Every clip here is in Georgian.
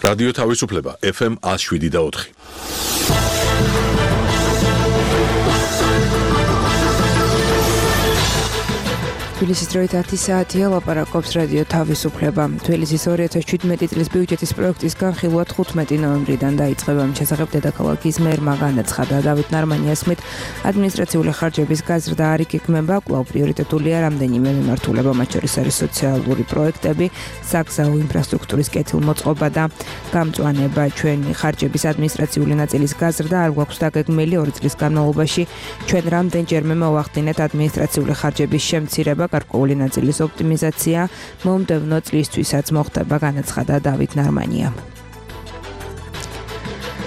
რადიო თავისუფლება FM 107.4. თბილისის დროით 10 საათია, ლაპარაკობს რადიო თავისუფლება. თბილისის 2017 წლის ბიუჯეტის პროექტის განხილვა 15 ნოემბრიდან დაიწყება. მის შესახებ დედაქალაქის მერმა განაცხადა. დავით ნარმანიას თქმით, ადმინისტრაციული ხარჯების გაზრდა არ იგეგმება, კვლავ პრიორიტეტულია რამდენიმე მიმართულება, მათ შორის არის სოციალური პროექტები, საგზაო ინფრასტრუქტურის კეთილმოწყობა და გამწვანება. ჩვენი ხარჯების ადმინისტრაციული ნაწილის გაზრდა არ გვაქვს დაგეგმილი 2 წლის განმავლობაში. ჩვენ რამდენჯერმე მოვახდინეთ ადმინისტრაციული ხარჯების შემცირება, გარკვეული ნაწილის ოპტიმიზაცია მომდევნო წლისთვისაც მოხდება, განაცხადა დავით ნარმანია.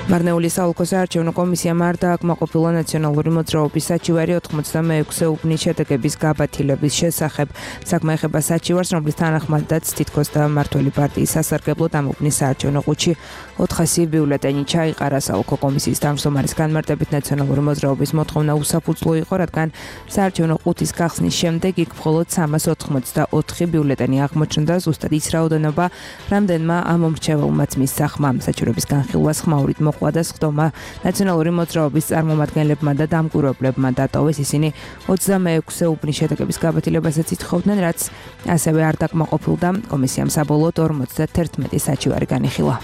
მარნეულის საოლქო საარჩევნო კომისიამ არ დააკმაყოფილა ნაციონალური მოძრაობის საჩივარი 86 უბნის შედეგების გაბათილების შესახებ. საქმე ეხება საჩივარს, რომლის თანახმადაც თითქოს და მმართველი პარტიის სასარგებლოდ ამ უბნის საარჩევნო ყუთში 400 ბიულეტენი ჩაიყარა. საოლქო კომისიის თავმჯდომარის განმარტებით ნაციონალური მოძრაობის მოთხოვნა უსაფუძვლო იყო, რადგან საარჩევნო ყუთის გახსნის შემდეგ იქ მხოლოდ 384 ბიულეტენი აღმოჩნდა. ზუსტად ის რაოდენობა, რამდენმა ამომრჩეველმაც მისახმა. საჩივრების განხილვას ხმაურით და სხდომა ნაციონალური მოძრაობის წარმომადგენლებმა და დამკვირვებლებმა დატოვეს. ისინი 26 უბნის შედეგების გაბათილებასაც ითხოვდნენ, რაც ასევე არ დაკმაყოფილდა. კომისიამ საბოლოოდ 51 საჩივარი განიხილა.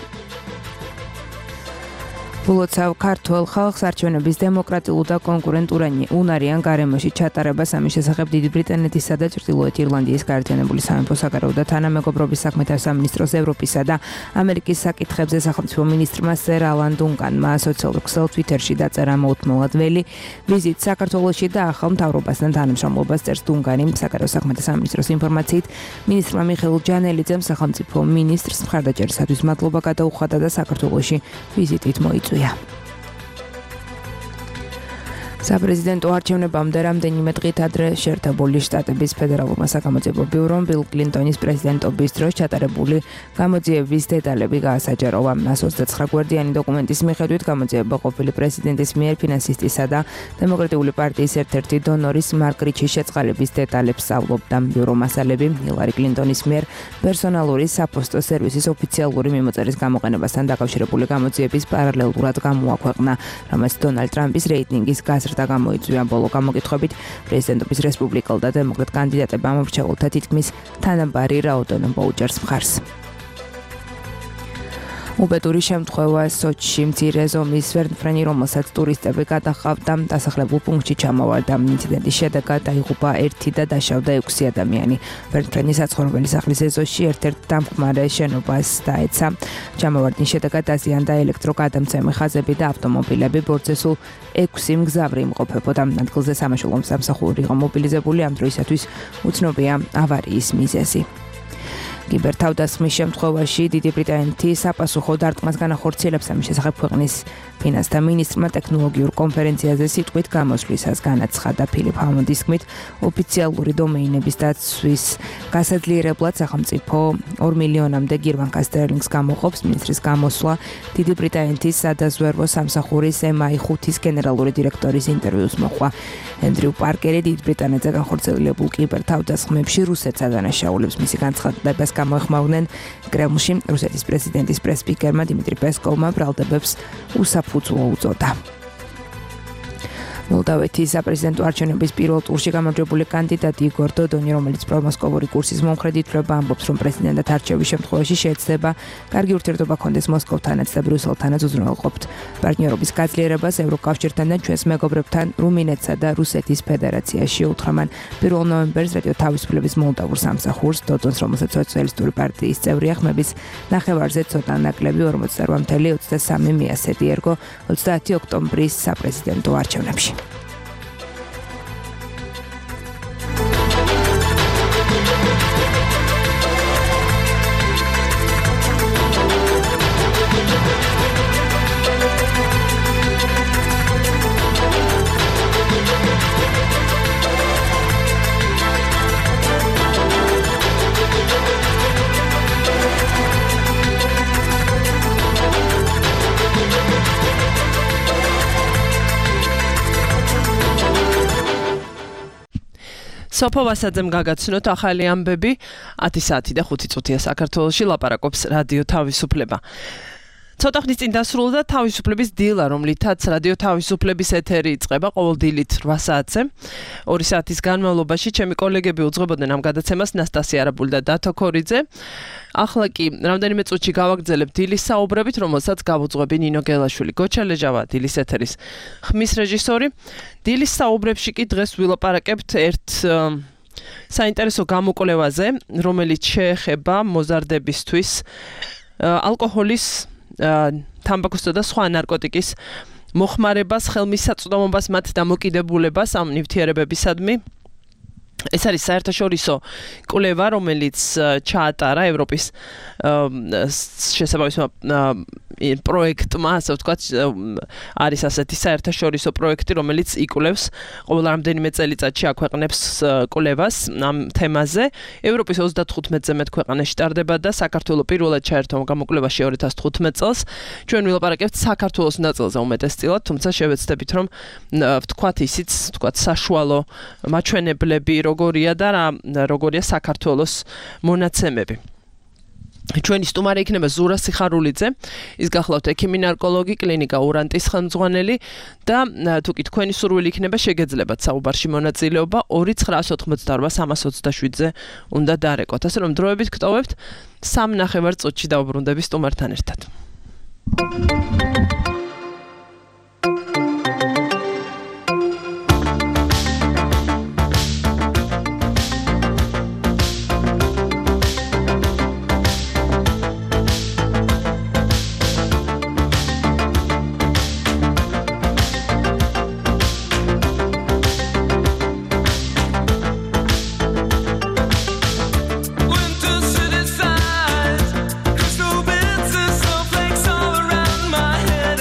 ბულოცავ ქართველ ხალხს არჩევნების დემოკრატიულ და კონკურენტული უნარიან გარემოში ჩატარებას ამის შესახებ დიდი ბრიტანეთისა და ჩრდილოეთ ირლანდიის გაერთიანებული სამეფო საგარეო და თანამეგობრობის საქმეთა სამინისტროს ევროპისა და ამერიკის საკითხებზე სახელმწიფო მინისტრმა სერ ალან დუნკანმა სოციალურ ქსელ Twitter-ში დაწერა მოუთმენლად ველი ვიზიტ საქართველოში და ახალ მთავრობასთან თანამშრომლობას წერს დუნკანი. საგარეო საქმეთა სამინისტროს ინფორმაციით მინისტრმა მიხეილ ჯანელიძემ სახელმწიფო მინისტრს მხარდაჭერისათვის მადლობა გადაუხადა და საქართველოში ვიზიტით მოიწვია. საპრეზიდენტო არჩევნებამდე რამდენიმე დღით ადრე შეერთებული შტატების ფედერალურმა საგამოძიებო ბიურომ ბილ კლინტონის პრეზიდენტობის დროს ჩატარებული გამოძიების დეტალები გაასაჯაროვა. 129 გვერდიანი დოკუმენტის მიხედვით გამოძიება ყოფილი პრეზიდენტის მიერ ფინანსისტისა და დემოკრატიული პარტიის ერთ-ერთი დონორის მარკ რიჩის შეწყალების დეტალებს სწავლობდა. ბიურო მასალები ჰილარი კლინტონის მიერ პერსონალური საფოსტო სერვისის ოფიციალური მიმოწერის გამოყენებასთან დაკავშირებული გამოძიების პარალელურად გამოაქვეყნა, რამაც დონალდ ტრამპის რეიტინგის გაზრდა გამოიწვია. ბოლო გამოკითხვებით პრეზიდენტობის რესპუბლიკელ და დემოკრატ კანდიდატებმა მომრჩეველთა თითქმის თანაბარი რაოდენობა უჭერს მხარს. უბედური შემთხვევა სოჩში მცირე ზომის ვერტმფრენი, რომელსაც ტურისტები გადაჰყავდა, დასახლებულ პუნქტში ჩამოვარდა. ინციდენტის შედეგად დაიღუპა 1 და დაშავდა 6 ადამიანი. ვერტმფრენი საცხოვრებელი სახლის ეზოში ერთ-ერთ დამხმარე შენობას დაეცა. ჩამოვარდნის შედეგად დაზიანდა ელექტროგადამცემი ხაზები და ავტომობილები. ბორცვზე სულ 6 მგზავრი იმყოფებოდა. ადგილზე სამაშველო სამსახური იყო მობილიზებული. ამ დროისათვის უცნობია ავარიის მიზეზი. კიბერთავდასხმის შემთხვევაში დიდი ბრიტანეთის საპასუხო დარტყმას განახორციელებს. ამის შესახებ ქვეყნის ფინანსთა მინისტრმა ტექნოლოგიურ კონფერენციაზე სიტყვით გამოსვლისას განაცხადა. ფილიპ ჰამონდის თქმით, ოფიციალური დომეინების დაცვის გასაძლიერებლად სახელმწიფო 2 მილიონამდე გირვანკა სტერლინგს გამოყოფს. მინისტრის გამოსვლა დიდი ბრიტანეთის სადაზვერვო სამსახურის MI5-ის გენერალური დირექტორის ინტერვიუს მოჰყვა. ენდრიუ პარკერი დიდ ბრიტანეთზე განხორციელებულ კიბერთავდასხმებში რუსეთს ადანაშაულებს. მისი განცხადებას გამოეხმაურნენ კრემლში. რუსეთის პრეზიდენტის პრეს-სპიკერმა დიმიტრი პესკოვმა ბრალდებებს უსაფუძვლო უწოდა. მოლდავეთის საპრეზიდენტო არჩევნების პირველ ტურში გამარჯვებული კანდიდატი იგორ დოდონი, რომელიც პრომოსკოვური კურსის მომხრედითვრება, ამბობს, რომ პრეზიდენტად არჩევის შემთხვევაში შეეცდება კარგი ურთიერთობა ჰქონდეს მოსკოვთანაც და ბრიუსელთანაც უზრუნველყოფთ პარტნიორობის გაძლიერებას ევროკავშირთან და ჩვენს მეგობრებთან რუმინეთსა და რუსეთის ფედერაციაში. უთხრამან 1 ნოემბერს რადიო თავისუფლების მოლდავურ სამსახურს დოდონს, რომელსაც სოციალისტური პარტიის წევრია, ხმების ნახევარზე ცოტა ნაკლები 48.23 მიასწრია ერგო 30 ოქტომბრის საპრეზიდენტო არჩევნებში. სოფო ვასაძემ გაგაცნოთ ახალი ამბები 10 საათი და 5 წუთია საქართველოში ლაპარაკობს რადიო თავისუფლება. ცოტა ხნის წინ დასრულდა თავისუფლების დილა, რომლითაც რადიო თავისუფლების ეთერი იწყება ყოველ დილით 8 საათზე. 2 საათის განმავლობაში ჩემი კოლეგები უძღვებოდნენ ამ გადაცემას ნასტასია არაბული და დათო ქორიძე. ახლა კი რამდენიმე წუთში გავაგრძელებ დილის საუბრებით, რომელსაც გავუძღვები ნინო გელაშვილი. გოჩა ლეჟავა დილის ეთერის ხმის რეჟისორი. დილის საუბრებში კი დღეს ვილაპარაკებთ ერთ საინტერესო გამოკვლევაზე, რომელიც შეეხება მოზარდებისთვის ალკოჰოლის თამბაქოსა და სხვა ნარკოტიკის მოხმარებას, ხელმისაწვდომობას, მათ დამოკიდებულებას ამ ნივთიერებებისადმი. ეს არის საერთაშორისო კვლევა, რომელიც ჩაატარა ევროპის შესაბამის პროექტმა, ასე ვთქვათ, არის ასეთი საერთაშორისო პროექტი, რომელიც იკვლევს ყოველ რამდენიმე წელიწადში აქვეყნებს კვლევას ამ თემაზე. ევროპის 35-ზე მეტ ქვეყანაში ტარდება და საქართველოს პირველად ჩაერთო გამოკვლევაში 2015 წელს. ჩვენ ვილაპარაკებთ საქართველოს ნაწილზე უმეტესწილად, თუმცა შევეცდებით, რომ ვთქვათ ისიც, ვთქვათ საშუალო მაჩვენებლები როგორია და როგორია საქართველოს მონაცემები. ჩვენი სტუმარი იქნება ზურა სიხარულიძე, ის გახლავთ ექიმი ნარკოლოგი, კლინიკა ურანტის ხელმძღვანელი და თუ კი თქვენი სურვილი იქნება შეგეძლებათ საუბარში მონაწილეობა 2988327-ზე უნდა დარეკოთ. ასე რომ დროებით გტოვებთ 3.5 წუთში დავბრუნდები სტუმართან ერთად. Crystal bits and snowflakes all around my head.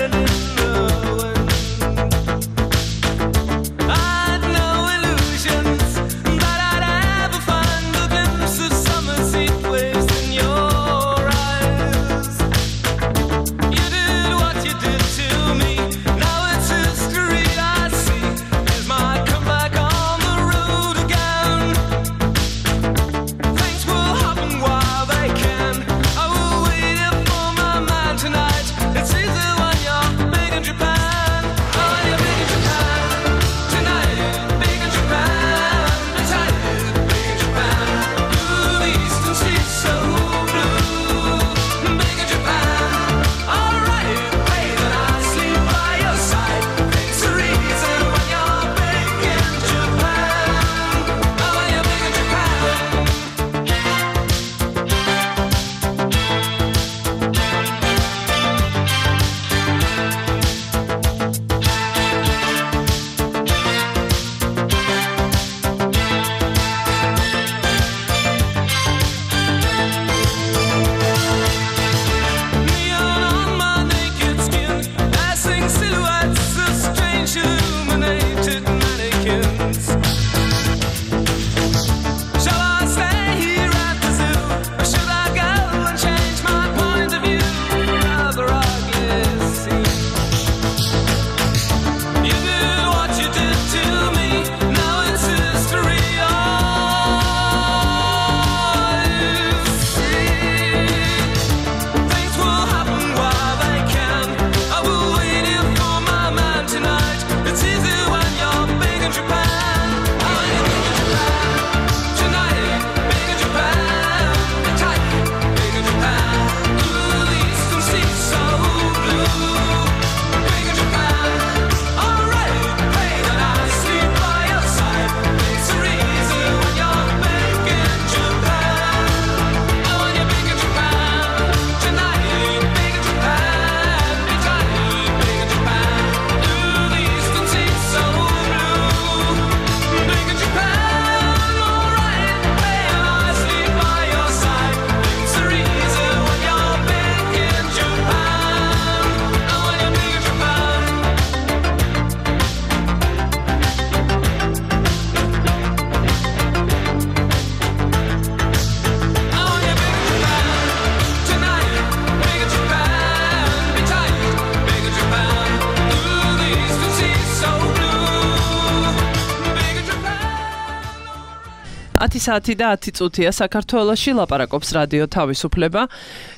10 საათი და 10 წუთია საქართველოში ლაპარაკობს რადიო თავისუფლება.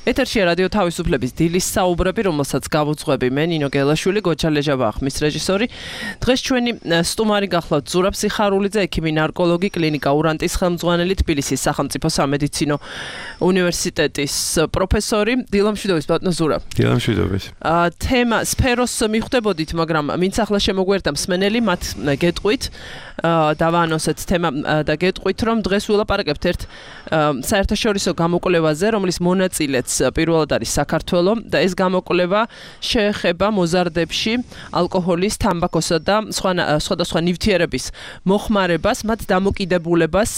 ეთერშია რადიო თავისუფლების დილის საუბრები, რომელსაც გავუძღვები მე ნინო გელაშვილი, გოჩა ლეჟაბა ხმის რეჟისორი. დღეს ჩვენი სტუმარი გახლავთ ზურაბ სიხარულიძე, ექიმი ნარკოლოგი, კლინიკა ურანტის ხელმძღვანელი, თბილისის სახელმწიფო სამედიცინო უნივერსიტეტის პროფესორი. დილამშვიდობის ბატონო ზურაბ. დილამშვიდობის. თემა სფეროს მიხვდებოდით, მაგრამ ვინც ახლა შემოგვერდა მსმენელი, მათ გეტყვით, დავაანონსეთ თემა და გეტყვით, რომ დღეს ვილაპარაკებთ ერთ საერთაშორისო გამოკვლევაზე, რომლის მონაწილეც პირველად არის საქართველო და ეს გამოკვლევა შეეხება მოზარდებში ალკოჰოლის, თამბაქოსა და სხვადასხვა ნივთიერების მოხმარებას, მათ დამოკიდებულებას,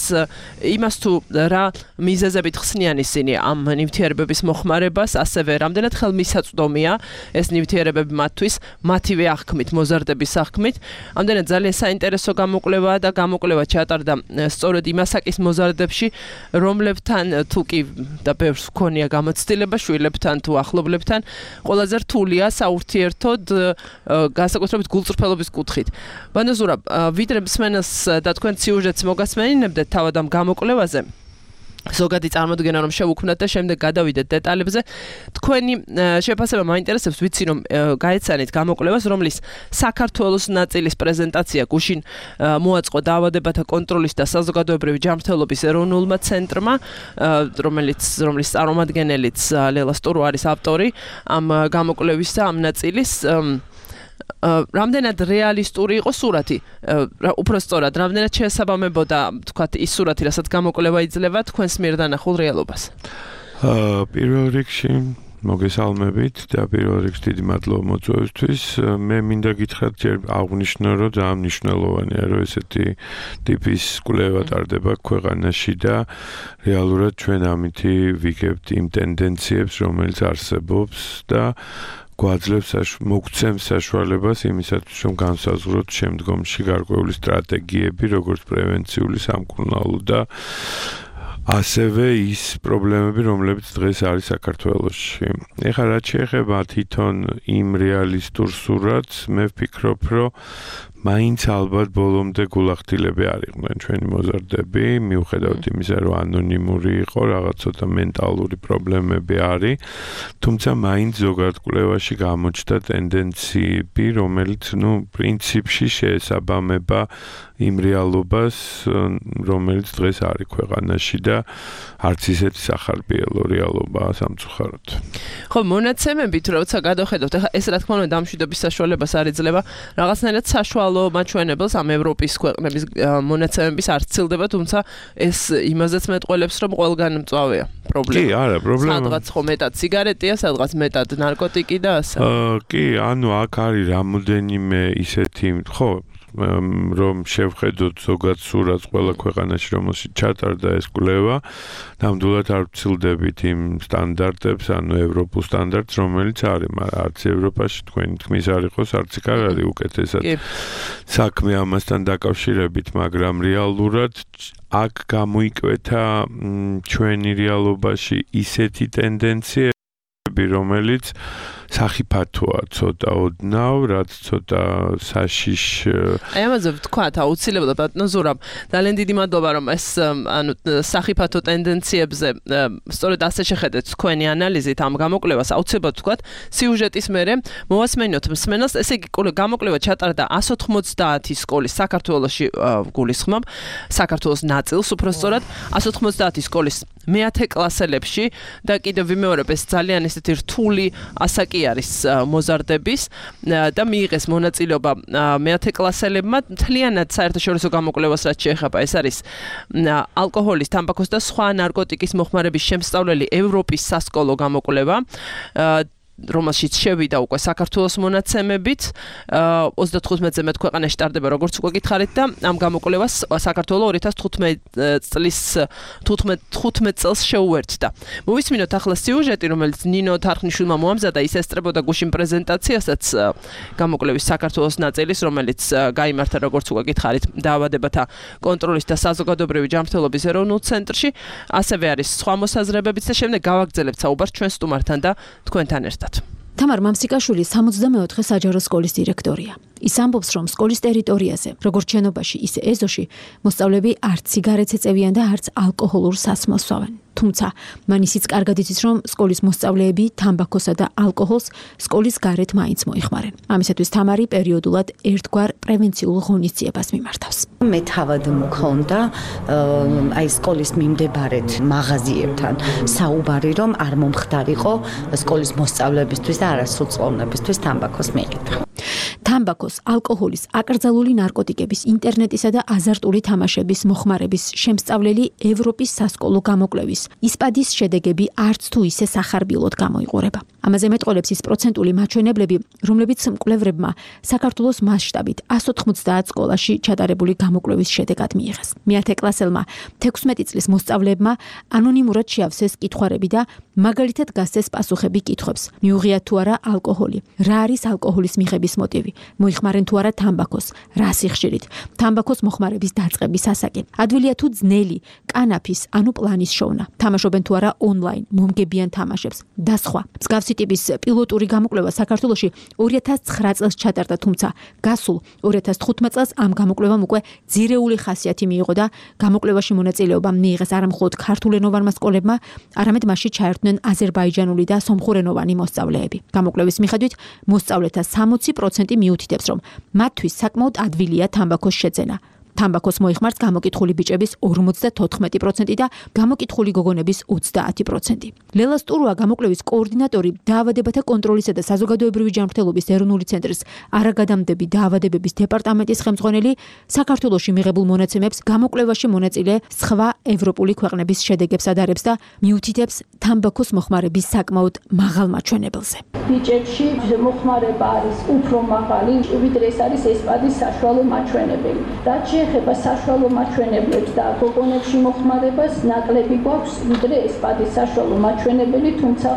იმას თუ რა მიზეზებით ხსნიან ისინი ამ ნივთიერებების მოხმარებას, ასევე რამდენად ხელმისაწვდომია ეს ნივთიერებები მათთვის, მათივე აღქმით, მოზარდების აღქმით. ამდენად ძალიან საინტერესო გამოკვლევაა და გამოკვლევა ჩატარდა სწორედ იმ ასაკის მოზარდებში, რომლებთან თუ კი და ბევრს ჰქონია გამოცდილება შვილებთან თუ ახლობლებთან, ყველაზე რთულია საურთიერთოდ განსაკუთრებით გულწრფელობის კუთხით. ბატონო ზურაბ, ვიდრე მსმენელს და თქვენ სიუჟეტს მოგასმენინებდეთ თავად ამ გამოკვლევაზე, ზოგადი წარმოდგენა რომ შევუქმნათ და შემდეგ გადავიდეთ დეტალებზე. თქვენი შეფასება მაინტერესებს, ვიცი რომ გაეცანით გამოკვლევას, რომლის საქართველოს ნაწილის პრეზენტაცია გუშინ მოაწყო დაავადებათა კონტროლის და საზოგადოებრივი ჯანმრთელობის ეროვნულმა ცენტრმა, რომლის წარმომადგენელიც ლელა სტურო არის ავტორი ამ გამოკვლევისა, ამ ნაწილის. რამდენად რეალისტური იყო სურათი, უფრო სწორად, რამდენად შეესაბამებოდა, თქვათ, ის სურათი, რასაც გამოკვლევა იძლევა თქვენს მიერ დანახულ რეალობას? პირველ რიგში მოგესალმებით და პირველ რიგში დიდი მადლობა მოწვევისთვის. მე მინდა გითხრათ ჯერ აღვნიშნო, რომ ძალიან მნიშვნელოვანია, რომ ესეთი ტიპის კვლევა ტარდება ქვეყანაში და რეალურად ჩვენ ამითი ვიგებთ იმ ტენდენციებს, რომელიც არსებობს და გვაძლევს მოგცემს საშუალებას იმისათვის, რომ განსაზღვროთ შემდგომში გარკვეული სტრატეგიები, როგორც პრევენციული, სამკურნალო და ასევე ის პრობლემები, რომლებიც დღეს არის საქართველოში. ეხლა რაც შეეხება თვითონ იმ რეალისტურ სურათს, მე ვფიქრობ, რომ მაინც ალბათ ბოლომდე გულახდილები არ იყვნენ ჩვენი მოზარდები, მიუხედავად იმისა, რომ ანონიმური იყო, რაღაც ცოტა მენტალური პრობლემები არის, თუმცა მაინც ზოგადად კვლევაში გამოჩნდა ტენდენციები, რომელიც, პრინციპში შეესაბამება იმ რეალობას, რომელიც დღეს არის ქვეყანაში და არც ისეთი სახარბიელო რეალობაა სამწუხაროდ. ხო, მონაცემებით როცა გადავხედავთ, ახლა ეს რა თქმა უნდა დამშვიდობის საშუალებას არ იძლევა, რაღაცნაირად საშუალო მაჩვენებელს ამ ევროპის ქვეყნების მონაცემების არ ცილდება, თუმცა ეს იმაზეც მეტყველებს, რომ ყველგან მწვავეა პრობლემა. კი, არა, პრობლემა. სადღაც ხო მეტად სიგარეტია, სადღაც მეტად ნარკოტიკი და ასე. კი, აქ არის რამოდენიმე ისეთი, ხო, რომ შევხედოთ ზოგად სურათს ყველა ქვეყანაში, რომელშიც ჩატარდა ეს კვლევა, ნამდვილად არ ვცილდებით იმ სტანდარტებს, ევროპულ სტანდარტს, რომელიც არის, მაგრამ არც ევროპაში თქვენი თქმის არ იყოს, არც იქ არ არის უკეთესად საქმე ამასთან დაკავშირებით, მაგრამ რეალურად აქ გამოიკვეთა ჩვენი რეალობაში ისეთი ტენდენციები, რომელიც სახიფათოა ცოტა ოდნავ, რაც ცოტა საშიშ. აი ამაზე ვთქვათ, აუცილებლად ბატონო ზურაბ, ძალიან დიდი მადლობა, რომ ეს სახიფათო ტენდენციებზე სწორედ ასე შეხედეთ თქვენი ანალიზით ამ გამოკვლევას, აუცილებლად ვთქვათ, სიუჟეტის მერე მოვასმენოთ მსმენელს, ესე იგი გამოკვლევა ჩატარდა 190 სკოლის საქართველოში გულისხმობ, საქართველოს ნაწილს უფრო სწორად, 190 სკოლის მე-10 კლასელებში და კიდევ ვიმეორებ, ეს ძალიან ესეთი რთული ასაკი არის მოზარდების და მიიღეს მონაწილეობა მე-10 კლასელებმა მთლიანად საერთაშორისო გამოკვლევას რაც შეეხება, ეს არის ალკოჰოლის, თამბაქოს და სხვა ნარკოტიკის მოხმარების შემსწავლელი ევროპის სასკოლო გამოკვლევა, რომელშიც შევიდა უკვე საქართველოს მონაცემებით, 35-ზე მეტ ქვეყანაში ტარდება, როგორც უკვე გითხარით და ამ გამოკვლევას საქართველო 2015 წლის 15 წელს შეუერთდა. მოვისმინოთ ახლა სიუჟეტი, რომელიც ნინო თარხნიშვილმა მოამზადა, ის ესწრებოდა გუშინ პრეზენტაციასაც გამოკვლევის საქართველოს ნაწილის, რომელიც გაიმართა, როგორც უკვე გითხარით, დაავადებათა კონტროლის და საზოგადოებრივი ჯანმრთელობის ეროვნულ ცენტრში, ასევე არის სხვა მოსაზრებებიც და შემდეგ გავაგრძელებთ საუბარს ჩვენ სტუმართან და თქვენთან ერთად. თამარ მამსიკაშვილი 64 საჯარო სკოლის დირექტორია. ის ამბობს, რომ სკოლის ტერიტორიაზე, როგორც შენობაში, ისე ეზოში, მოსწავლეები არც სიგარეტს ეწევიან და არც ალკოჰოლურ სასმელს სვავენ. თუმცა, მან ისიც კარგად იცის, რომ სკოლის მოსწავლეები თამბაქოსა და ალკოჰოლს სკოლის გარეთ მაინც მოიხმარენ. ამისათვის თამარი პერიოდულად ერთგვარ პრევენციულ ღონისძიებას მიმართავს. მე თავად მქონდა აი სკოლის მიმდებარედ მაღაზიებთან საუბარი, რომ არ მომხდარიყო სკოლის მოსწავლეებისთვის და არასრულწლოვნებისთვის თამბაქოს მიყიდვა. თამბაქოს, ალკოჰოლის, აკრძალული ნარკოტიკების, ინტერნეტისა და აზარტული თამაშების მოხმარების შემსწავლელი ევროპის სასკოლო გამოკვლევის ისპადის შედეგები არც თუ ისე სახარბილოდ გამოიყურება. ამაზე მეტყოლებს ის პროცენტული მაჩვენებლები, რომლებიც მკვლევრებმა საქართველოს მასშტაბით 190 სკოლაში ჩატარებული გამოკვლევის შედეგად მიიღეს. მე-10 კლასელმა 16 წლის მოსწავლეებმა ანონიმურად შეავსეს კითხვარები და მაგალითად გასცეს პასუხები კითხვებს. მიუღიათ თუ არა ალკოჰოლი, რა არის ალკოჰოლის მიღების მოტივი, მოიხმარენ თუ არა თამბაქოს, რა სიხშირით, თამბაქოს მოხმარების დაწყების ასაკი, ადვილია თუ ძნელი, კანაფის, ანუ პლანის შოვნა, თამაშობენ თუ არა ონლაინ, მომგებიან თამაშებს და სხვა. მსგავსი ტიპის პილოტური გამოკვლევა საქართველოში 2009 წელს ჩატარდა, თუმცა გასულ 2015 წელს ამ გამოკვლევამ უკვე ძირეული ხასიათი მიიღო და გამოკვლევაში მონაწილეობა მიიღეს არა მხოლოდ ქართულენოვანმა სკოლებმა, არამედ მასში ჩაერთვნენ აზერბაიჯანული და სომხურენოვანი მოსწავლეები. გამოკვლევის მიხედვით მოსწავლეთა 60% მიუთითებს, რომ მათთვის საკმაოდ ადვილია თამბაქოს შეძენა. თამბაქოს მოიხმართ გამოკითხული ბიჭების 54% და გამოკითხული გოგონების 30%. ლელა სტურუა გამოკვლევის კოორდინატორი დაავადებათა კონტროლისა და საზოგადოებრივი ჯანმრთელობის ეროვნული ცენტრის არაგადამდები დაავადებების დეპარტამენტის ხელმძღვანელი საქართველოში მიღებულ მონაცემებს გამოკვლევაში მონაწილე სხვა ევროპული ქვეყნების შედეგებს ადარებს და მიუთითებს თამბაქოს მოხმარების საკმაოდ მაღალ მაჩვენებელზე. ბიჭებში მოხმარება არის უფრო მაღალი, ვიდრე ეს არის ესპადის საშუალო მაჩვენებელი. რაც ეხება საშუალო მაჩვენებლებს და გოგონებში მოხმარებას ნაკლები გვაქვს, ვიდრე ესპადის საშუალო მაჩვენებელი, თუმცა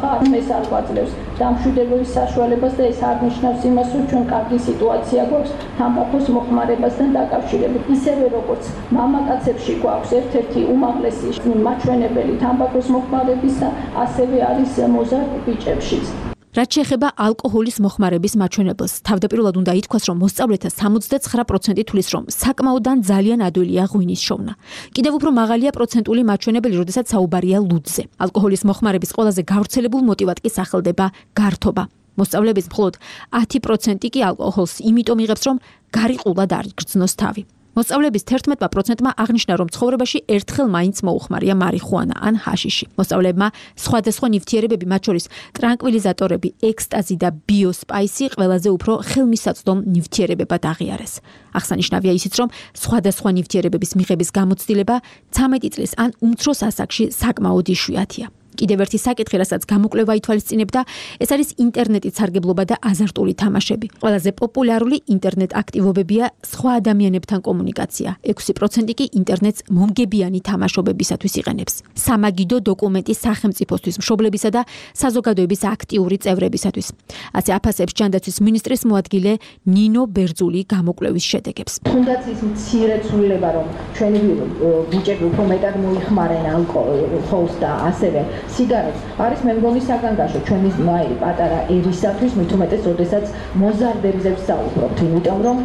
ეს არ გვაძლევს დამშვიდების საშუალებას და ეს არ ნიშნავს იმას, რომ ჩვენ კარგი სიტუაცია გვაქვს თამბაქოს მოხმარებასთან დაკავშირებით. ისევე როგორც მამაკაცებში გვაქვს ერთ-ერთი უმაღლესი მაჩვენებელი თამბაქოს მოხმარებისა, ასევე არის მოზარდ ბიჭებშიც. რაც შეეხება ალკოჰოლის მოხმარების მაჩვენებელს, თავდაპირველად უნდა ითქვას, რომ მოსწავლეთა 79% თვლის, რომ საკმაოდ ან ძალიან ადვილია ღვინის შოვნა. კიდევ უფრო მაღალია პროცენტული მაჩვენებელი, როდესაც საუბარია ლუდზე. ალკოჰოლის მოხმარების ყველაზე გავრცელებულ მოტივად კი სახელდება გართობა. მოსწავლეების მხოლოდ 10% კი ალკოჰოლს იმიტომ იღებს, რომ გარიყულად არ გრძნოს თავი. მოსწავლეების 11%-მა აღნიშნა, რომ ცხოვრებაში ერთხელ მაინც მოუხმარია მარიხუანა ან ჰაშიში. მოსწავლეებმა სხვადასხვა ნივთიერებები, მათ შორის ტრანკვილიზატორები, ექსტაზი და ბიოსპაისი ყველაზე უფრო ხელმისაწვდომ ნივთიერებებად აღიარეს. აღსანიშნავია ისიც, რომ სხვადასხვა ნივთიერებების მიღების გამოცდილება 13 წლის ან უმცროს ასაკში საკმაოდ იშვიათია. კიდევ ერთი საკითხი, რასაც გამოკვლევა ითვალისწინებდა, ეს არის ინტერნეტით სარგებლობა და აზარტული თამაშები. ყველაზე პოპულარული ინტერნეტ აქტივობებია სხვა ადამიანებთან კომუნიკაცია. 6% კი ინტერნეტს მომგებიანი თამაშობებისათვის იყენებს. სამაგიდო დოკუმენტი სახელმწიფოსთვის, მშობლებისა და საზოგადოების აქტიური წევრებისათვის. ასე აფასებს ჯანდაცვის მინისტრის მოადგილე ნინო ბერძული გამოკვლევის შედეგებს. თუნდაც ის მცირეცვლილება, რომ ჩვენი ბიჭები უფრო მეტად მოიხმარენ ალკოჰოლს და ასევე სიგარეტს, არის მე მგონი საგანგაშო ჩვენი პატარა ერისათვის, მით უმეტეს, როდესაც მოზარდებზე ვსაუბრობთ, იმიტომ რომ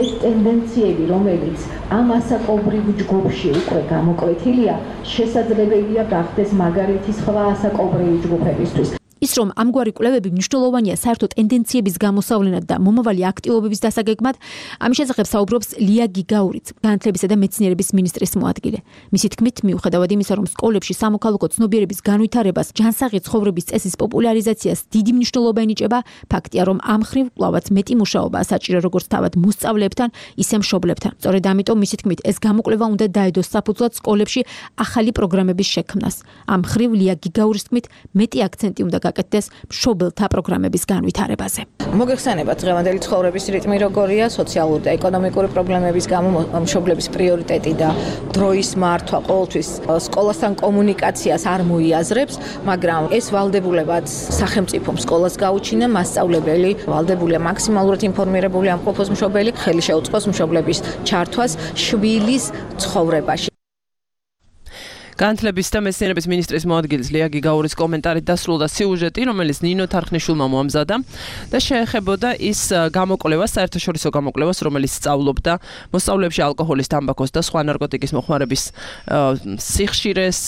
ეს ტენდენციები, რომელიც ამ ასაკობრივ ჯგუფში უკვე გამოკვეთილია, შესაძლებელია გახდეს მაგალითი სხვა ასაკობრივი ჯგუფებისთვის. ის რომ ამგვარი კვლევები მნიშვნელოვანია საერთო ტენდენციების გამოსავლენად და მომავალი აქტივობების დასაგეგმად, ამის შესახებ საუბრობს ლია გიგაურიც, განათლებისა და მეცნიერების მინისტრის მოადგილე. მისი თქმით, მიუხედავად იმისა, რომ სკოლებში სამოქალაქო ცნობიერების განვითარებას, ჯანსაღი ცხოვრების წესის პოპულარიზაციას დიდი მნიშვნელობა ენიჭება, ფაქტია, რომ ამ მხრივ კვლავაც მეტი მუშაობა საჭირო როგორც თავად მოსწავლეებთან, ისე მშობლებთან. სწორედ ამიტომ მისი თქმით, ეს გამოკვლევა უნდა დაედოს საფუძვლად სკოლებში ახალი პროგრამების შექმნას. ამ მხრივ ლია გიგაურის თქმით, მეტი აქცენტი უნდა გაკეთდეს მშობელთა პროგრამების განვითარებაზე. მოგეხსენებათ დღევანდელი ცხოვრების რიტმი როგორია, სოციალური და ეკონომიკური პრობლემების გამო მშობლების პრიორიტეტი და დროის მართვა ყოველთვის სკოლასთან კომუნიკაციას არ მოიაზრებს, მაგრამ ეს ვალდებულებაც სახელმწიფომ სკოლას გაუჩინა, მასწავლებელი ვალდებულია მაქსიმალურად ინფორმირებული ამყოფოს მშობელი, ხელი შეუწყოს მშობლების ჩართვას შვილის ცხოვრებაში. განათლების და მეცნიერების მინისტრის მოადგილის ლია გიგაურის კომენტარით დასრულდა სიუჟეტი, რომელიც ნინო თარხნიშვილმა მოამზადა და შეეხებოდა ის გამოკვლევას, საერთაშორისო გამოკვლევას, რომელიც სწავლობდა მოსწავლეებში ალკოჰოლის, თამბაქოს და სხვა ნარკოტიკის მოხმარების სიხშირეს,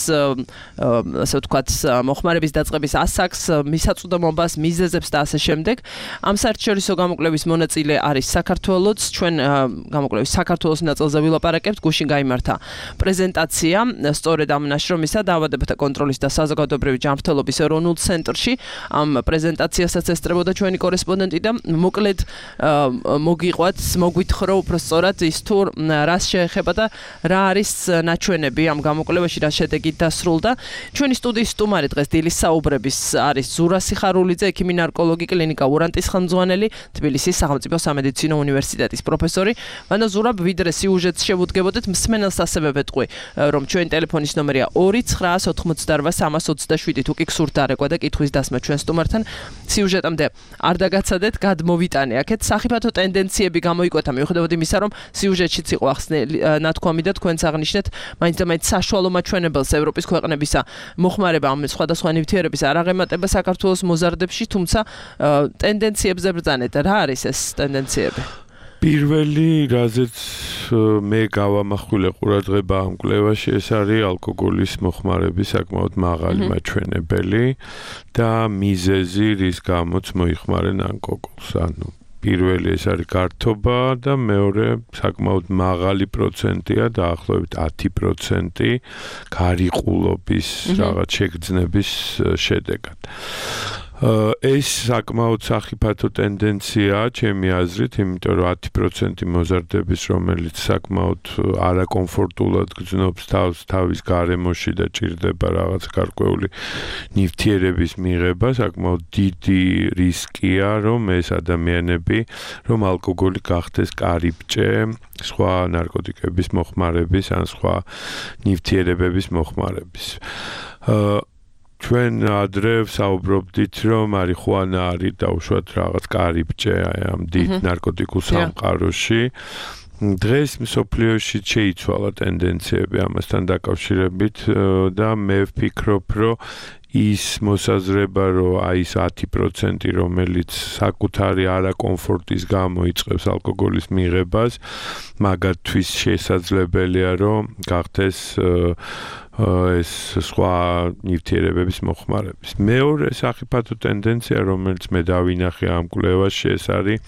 ასე ვთქვათ, მოხმარების დაწყების ასაკს, მისაწვდომობას, მიზეზებს და ასე შემდეგ. ამ საერთაშორისო გამოკვლევის მონაწილე არის საქართველოც. ჩვენ გამოკვლევის საქართველოს ნაწილზე ვილაპარაკებთ. გუშინ გაიმართა პრეზენტაცია სწორედ ამ ნაშრომისა დაავადებათა კონტროლის და საზოგადოებრივი ჯანმრთელობის ეროვნულ ცენტრში. ამ პრეზენტაციასაც ესწრებოდა ჩვენი კორესპონდენტი და მოკლედ მოგვითხრა უფრო სწორად ის თუ რას შეეხება და რა არის ნაჩვენები ამ გამოკვლევაში, რა შედეგით დასრულდა. ჩვენი სტუდიის სტუმარი დღეს დილის საუბრების არის ზურა სიხარულიძე, ექიმი ნარკოლოგი, კლინიკა ურანტის ხელმძღვანელი, თბილისის სახელმწიფო სამედიცინო უნივერსიტეტის პროფესორი. მანო ზურაბ, ვიდრე სიუჟეტს შევუდგებოდეთ, მსმენელს ასევე ვეთყვი, რომ ჩვენი ტელეფონის ნომერია 2-988-327 თუ კი გსურთ დარეკვა და კითხვის დასმა ჩვენ სტუმართან სიუჟეტამდე არ დაგაცადეთ, გადმოვიტანე აქეთ სახიფათო ტენდენციები გამოიკვეთა მიუხედავად იმისა, რომ სიუჟეტშიც იყო ახსნილი ნათქვამი და თქვენც აღნიშნეთ, მაინც და მაინც საშუალო მაჩვენებელს ევროპის ქვეყნებისა მოხმარება ამ სხვადასხვა ნივთიერების არ აღემატება საქართველოს მოზარდებში, თუმცა ტენდენციებზე ბრძანეთ. რა არის ეს ტენდენციები? პირველი, რაზეც მე გავამახვილე ყურადღება ამ კვლევაში, ეს არის ალკოგოლის მოხმარების საკმაოდ მაღალი მაჩვენებელი და მიზეზი, რის გამოც მოიხმარენ ალკოგოლს. ანუ პირველი ეს არის გართობა და მეორე საკმაოდ მაღალი პროცენტია, დაახლოებით 10% გარიყულობის რაღაც შეგრძნების შედეგად. ეს საკმაოდ სახიფათო ტენდენციაა ჩემი აზრით, იმიტომ რომ 10% მოზარდების, რომელიც საკმაოდ არაკომფორტულად გრძნობს თავს თავის გარემოში და ჭირდება რაღაც გარკვეული ნივთიერების მიღება, საკმაოდ დიდი რისკია, რომ ეს ადამიანები, რომ ალკოგოლი გახდეს კარიბჭე სხვა ნარკოტიკების მოხმარების ან სხვა ნივთიერებების მოხმარების. ჩვენ ადრე საუბრობდით, რომ მარიხუანა არის დაუშვათ რაღაც კარიბჭე ამ დიდ ნარკოტიკულ სამყაროში. დღეს მსოფლიოში შეიცვალა ტენდენციები ამასთან დაკავშირებით და მე ვფიქრობ, რომ ის მოსაზრება, რომ აი ეს 10%, რომელიც საკუთარი არაკომფორტის გამო იწყებს ალკოგოლის მიღებას, მაგათთვის შესაძლებელია, რომ გახდეს ეს სხვა ნივთიერებების მოხმარების. მეორე სახიფათო ტენდენცია, რომელიც მე დავინახე ამ კვლევაში, ეს არის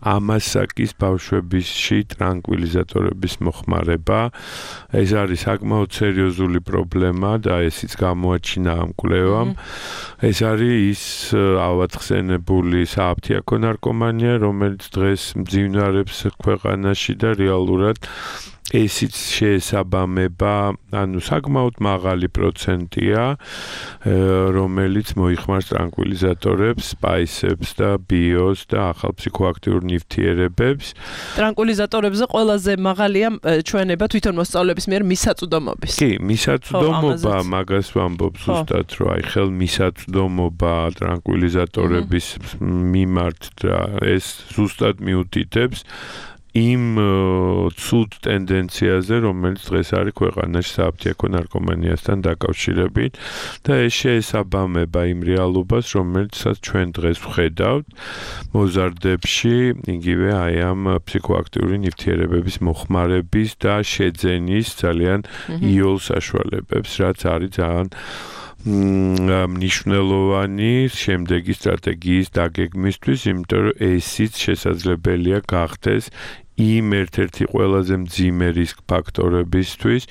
ამასაკის ბავშვებისში ტრანკვილიზატორების მოხმარება. ეს არის საკმაოდ სერიოზული პრობლემა და ესიც გამოაჩინა ამ კვლევამ. ეს არის ის ავადხსენებული სააფთიაქო ნარკომანია, რომელიც დღეს მძინვარებს ქვეყანაში და რეალურად ესიც შეესაბამება, ანუ საკმაოდ მაღალი პროცენტია, რომელიც მოიხმარს ტრანკვილიზატორებს, სპაისებს და ბიოს და ახალ ფსიქოაქტიურ ნივთიერებებს. ტრანკვილიზატორებზე ყველაზე მაღალია ჩვენება თვითონ მოსწავლეების მიერ მისაწვდომობის. კი, მისაწვდომობა, მაგას ვამბობ ზუსტად, რომ აი ხელმისაწვდომობა ტრანკვილიზატორების მიმართ და ეს ზუსტად მიუთითებს იმ ცუდ ტენდენციაზე, რომელიც დღეს არის ქვეყანაში სააფთიაქო ნარკომანიასთან დაკავშირებით და ეს შეესაბამება იმ რეალობას, რომელსაც ჩვენ დღეს ვხედავთ მოზარდებში, იგივე აი ამ ფსიქოაქტიური ნივთიერებების მოხმარების და შეძენის ძალიან იოლ საშუალებებს, რაც არის ძალიან მნიშვნელოვანი შემდეგი სტრატეგიის დაგეგმისთვის, იმიტომ რომ ესიც შესაძლებელია გახდეს იმ ერთ-ერთი ყველაზე მძიმე რისკ ფაქტორებისთვის,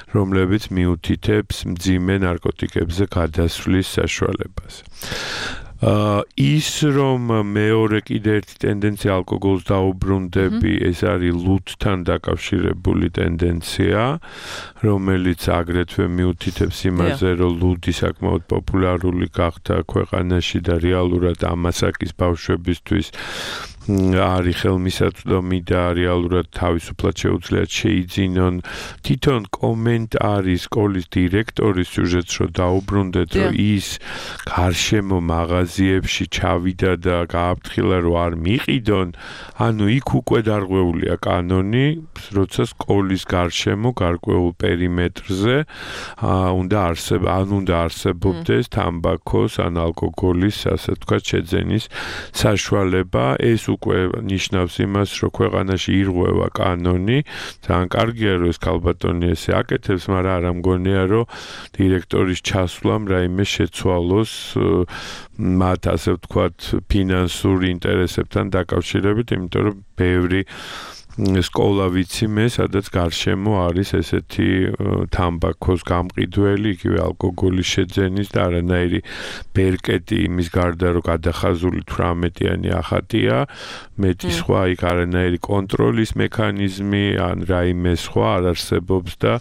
რომლებიც მიუთითებს მძიმე ნარკოტიკებზე გადასვლის საშუალებას. ის რომ მეორე კიდე ერთი ტენდენცია ალკოგოლს დაუბრუნდები, ეს არის ლუდთან დაკავშირებული ტენდენცია, რომელიც აგრეთვე მიუთითებს იმაზე, რომ ლუდი საკმაოდ პოპულარული გახდა ქვეყანაში და რეალურად ამასაკის ბავშვებისთვის არის ხელმისაწვდომი და რეალურად თავისუფლად შეუძლიათ შეიძინონ. თვითონ კომენტ არის სკოლის დირექტორის სიუჟეტს რომ დაუბრუნდეთ, რომ ის გარშემო მაღაზიებში ჩავიდა და გააფრთხილა რომ არ მიყიდონ. ანუ იქ უკვე დარღვეულია კანონი, როცა სკოლის გარშემო გარკვეულ პერიმეტრზე უნდა არსებობდეს თამბაქოს ან ალკოგოლის, ასე ვთქვათ, შეძენის საშუალება. ეს უკვე ნიშნავს იმას, რომ ქვეყანაში ირღვევა კანონი. ძალიან კარგია, რომ ეს ქალბატონი ესე აკეთებს, მაგრამ არ ამგონია, რომ დირექტორის ჩასვლამ რაიმე შეცვალოს მათ, ასე ვთქვათ, ფინანსურ ინტერესებთან დაკავშირებით, იმიტომ რომ ბევრი სკოლა ვიცი მე, სადაც გარშემო არის ესეთი თამბაქოს გამყიდველი, იგივე ალკოგოლის შეძენის და არანაირი ბერკეტი იმის გარდა, რომ გადახაზული 18-იანი ახატია, მეტი სხვა იქ არანაირი კონტროლის მექანიზმი ან რაიმე სხვა არ არსებობს და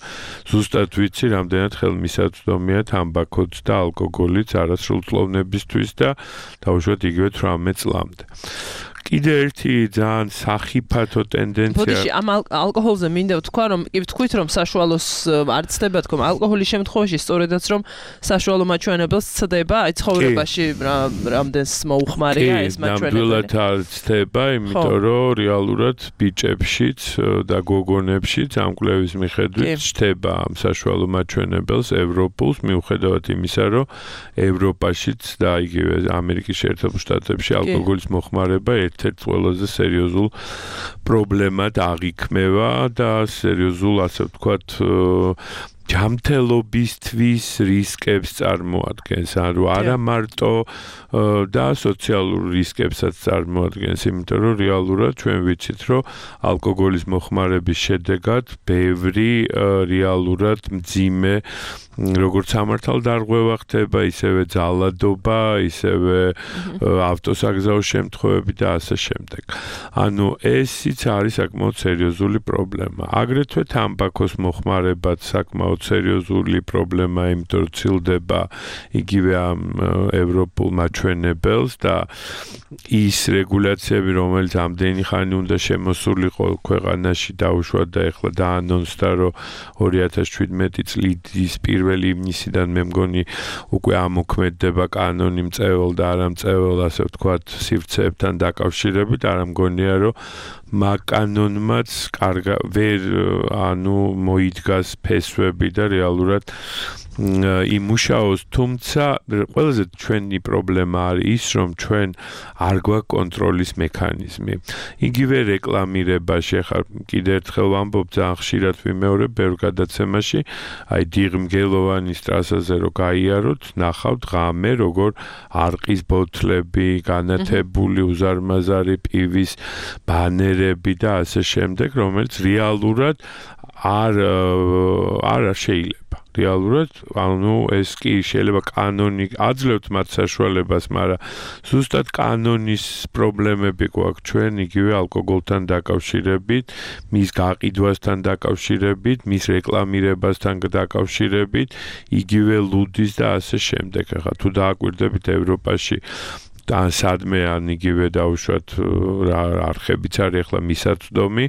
ზუსტად ვიცი, რამდენად ხელმისაწვდომია თამბაქოც და ალკოგოლიც არასრულწლოვნებისთვის და დაუშვათ იგივე 18 წლამდე. კიდე ერთი ძალიან სახიფათო ტენდენცია. ბოდიში ამ ალკოჰოლზე მინდა ვთქვა, რომ კი ვთქვით, რომ საშუალოს არ ცდება თქო, ალკოჰოლის შემთხვევაში სწორედაც რომ საშუალო მაჩვენებელს ცდება, აი ცხოვრებაში რამდენს მოუხმარია ეს მაჩვენებელი. ნამდვილად არ ცდება, იმიტომ რომ რეალურად ბიჭებშიც და გოგონებშიც ამ კვლევის მიხედვით ცდება ამ საშუალო მაჩვენებელს ევროპულს, მიუხედავად იმისა, რომ ევროპაშიც და იგივე ამერიკის შეერთებულ შტატებში ალკოგოლის მოხმარება ერთ-ერთ ყველაზე სერიოზულ პრობლემად აღიქმევა და სერიოზულ, ასე ვთქვათ, ჯანმრთელობისთვის რისკებს წარმოადგენს, ანუ არა მარტო და სოციალურ რისკებსაც წარმოადგენს, იმიტომ რომ რეალურად ჩვენ ვიცით, რომ ალკოგოლის მოხმარების შედეგად ბევრი რეალურად მძიმე როგორც სამართალ დარღვევა ხდება, ისევე ძალადობა, ისევე ავტოსაგზაო შემთხვევები და ასე შემდეგ. ანუ ესიც არის საკმაოდ სერიოზული პრობლემა. აგრეთვე თამბაქოს მოხმარებაც საკმაოდ სერიოზული პრობლემა, იმიტომ რომ ცილდება იგივე ამ ევროპულ მაჩვენებელს და ის რეგულაციები, რომელიც ამდენი ხანი უნდა შემოსულიყო ქვეყანაში დაუშვათ და ეხლა დაანონსდა, რომ 2017 წლის პირველი ივნისიდან მე მგონი უკვე ამოქმედდება კანონი მწვეველ და არამწვეველ, ასე ვთქვათ, სივრცეებთან დაკავშირებით, არ მგონია, რომ მაგ კანონმაც ვერ მოიდგას ფესვები და რეალურად იმუშაოს, თუმცა ყველაზე ჩვენი პრობლემა არის ის, რომ ჩვენ არ გვაქვს კონტროლის მექანიზმი. იგივე რეკლამირებაში, ახლა კიდე ერთხელ ვამბობ, ძალიან ხშირად ვიმეორებ ბევრ გადაცემაში, აი დიღმგელოვანის ტრასაზე რო გაიაროთ, ნახავთ ღამე, როგორ არყის ბოთლები, განათებული უზარმაზარი პივის ბანერები და ასე შემდეგ, რომელიც რეალურად არ შეიძლება. რეალურად, ანუ ეს კი შეიძლება კანონი აძლევთ მათ საშუალებას, მაგრამ ზუსტად კანონის პრობლემები გვაქვს ჩვენ იგივე ალკოგოლთან დაკავშირებით, მის გაყიდვასთან დაკავშირებით, მის რეკლამირებასთან დაკავშირებით, იგივე ლუდის და ასე შემდეგ. ახლა თუ დააკვირდებით ევროპაში ან სადმე ან იგივე დაუშვათ არხებიც არის ახლა მისაწვდომი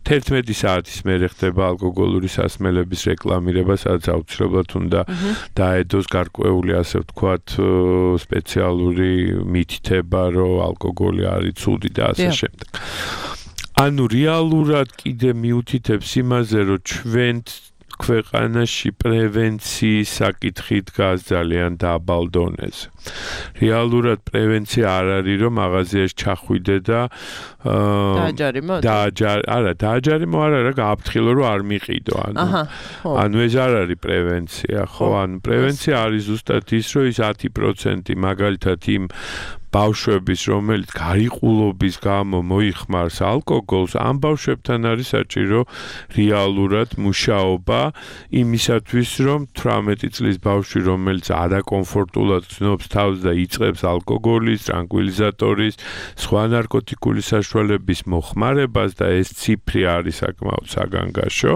11 საათის მერე ხდება ალკოგოლური სასმელების რეკლამირება, სადაც აუცილებლად უნდა დაედოს გარკვეული, ასე ვთქვათ, სპეციალური მითითება, რომ ალკოგოლი არის ცუდი და ასე შემდეგ. ანუ რეალურად კიდე მიუთითებს იმაზე, რომ ჩვენ ქვეყანაში პრევენციის საკითხი დგას ძალიან დაბალ დონეზე. რეალურად პრევენცია არ არის, რომ მაღაზიაში ჩახვიდე და დააჯარიმო არა, გააფრთხილო, რომ არ მიყიდო. ანუ ეს არ არის პრევენცია, ხო? ანუ პრევენცია არის ზუსტად ის, რომ ის 10% მაგალითად იმ ბავშვების, რომელიც გარიყულობის გამო მოიხმარს ალკოგოლს, ამ ბავშვებთან არის საჭირო რეალურად მუშაობა იმისათვის, რომ 18 წლის ბავშვი, რომელიც არაკომფორტულად გრძნობს თავს და იწყებს ალკოგოლის, ტრანკვილიზატორის, სხვა ნარკოტიკული საშუალების მოხმარებას და ეს ციფრი არის საკმაოდ საგანგაშო.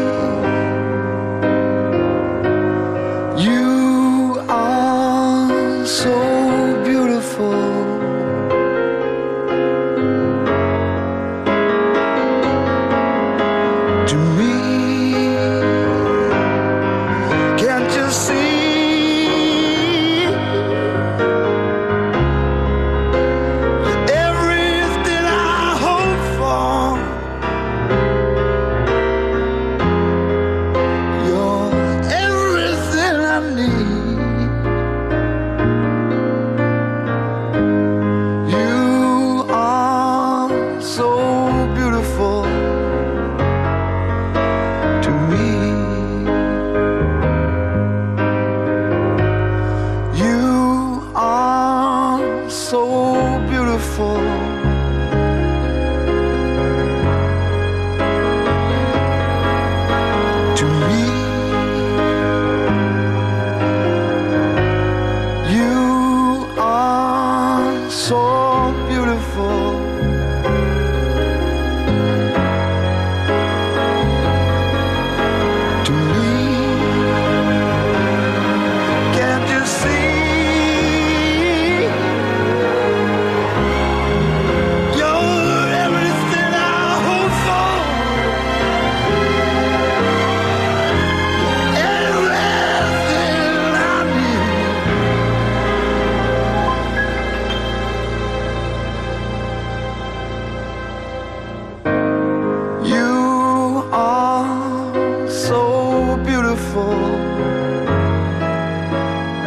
me. You are so beautiful. To me, you are so beautiful. To me, can't you see? You're everything I hope for. Everything I need. You are so beautiful.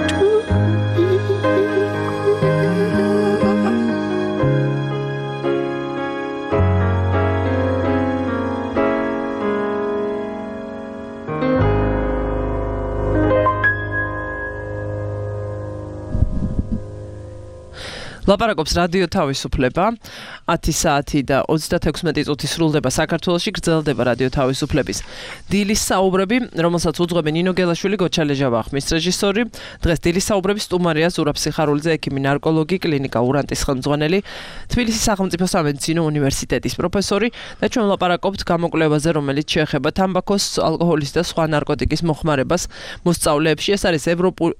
To me. ლაპარაკობს რადიო თავისუფლება 10 საათი და 36 წუთი სრულდება საქართველოში გრძელდება რადიო თავისუფლების დილის საუბრები რომელსაც უძღვებენ ნინო გელაშვილი გოჩალე ჟავახმის რეჟისორი დღეს დილის საუბრების სტუმარია ზურაბ სიხარულიძე ექიმი ნარკოლოგი კლინიკა ურანტის ხელმძღვანელი თბილისის სახელმწიფო სამედიცინო უნივერსიტეტის პროფესორი და ჩვენ ლაპარაკობთ გამოკვლევაზე რომელიც შეეხება თამბაქოს ალკოჰოლის და სხვა ნარკოტიკის მოხმარებას მოსწავლეებში ეს არის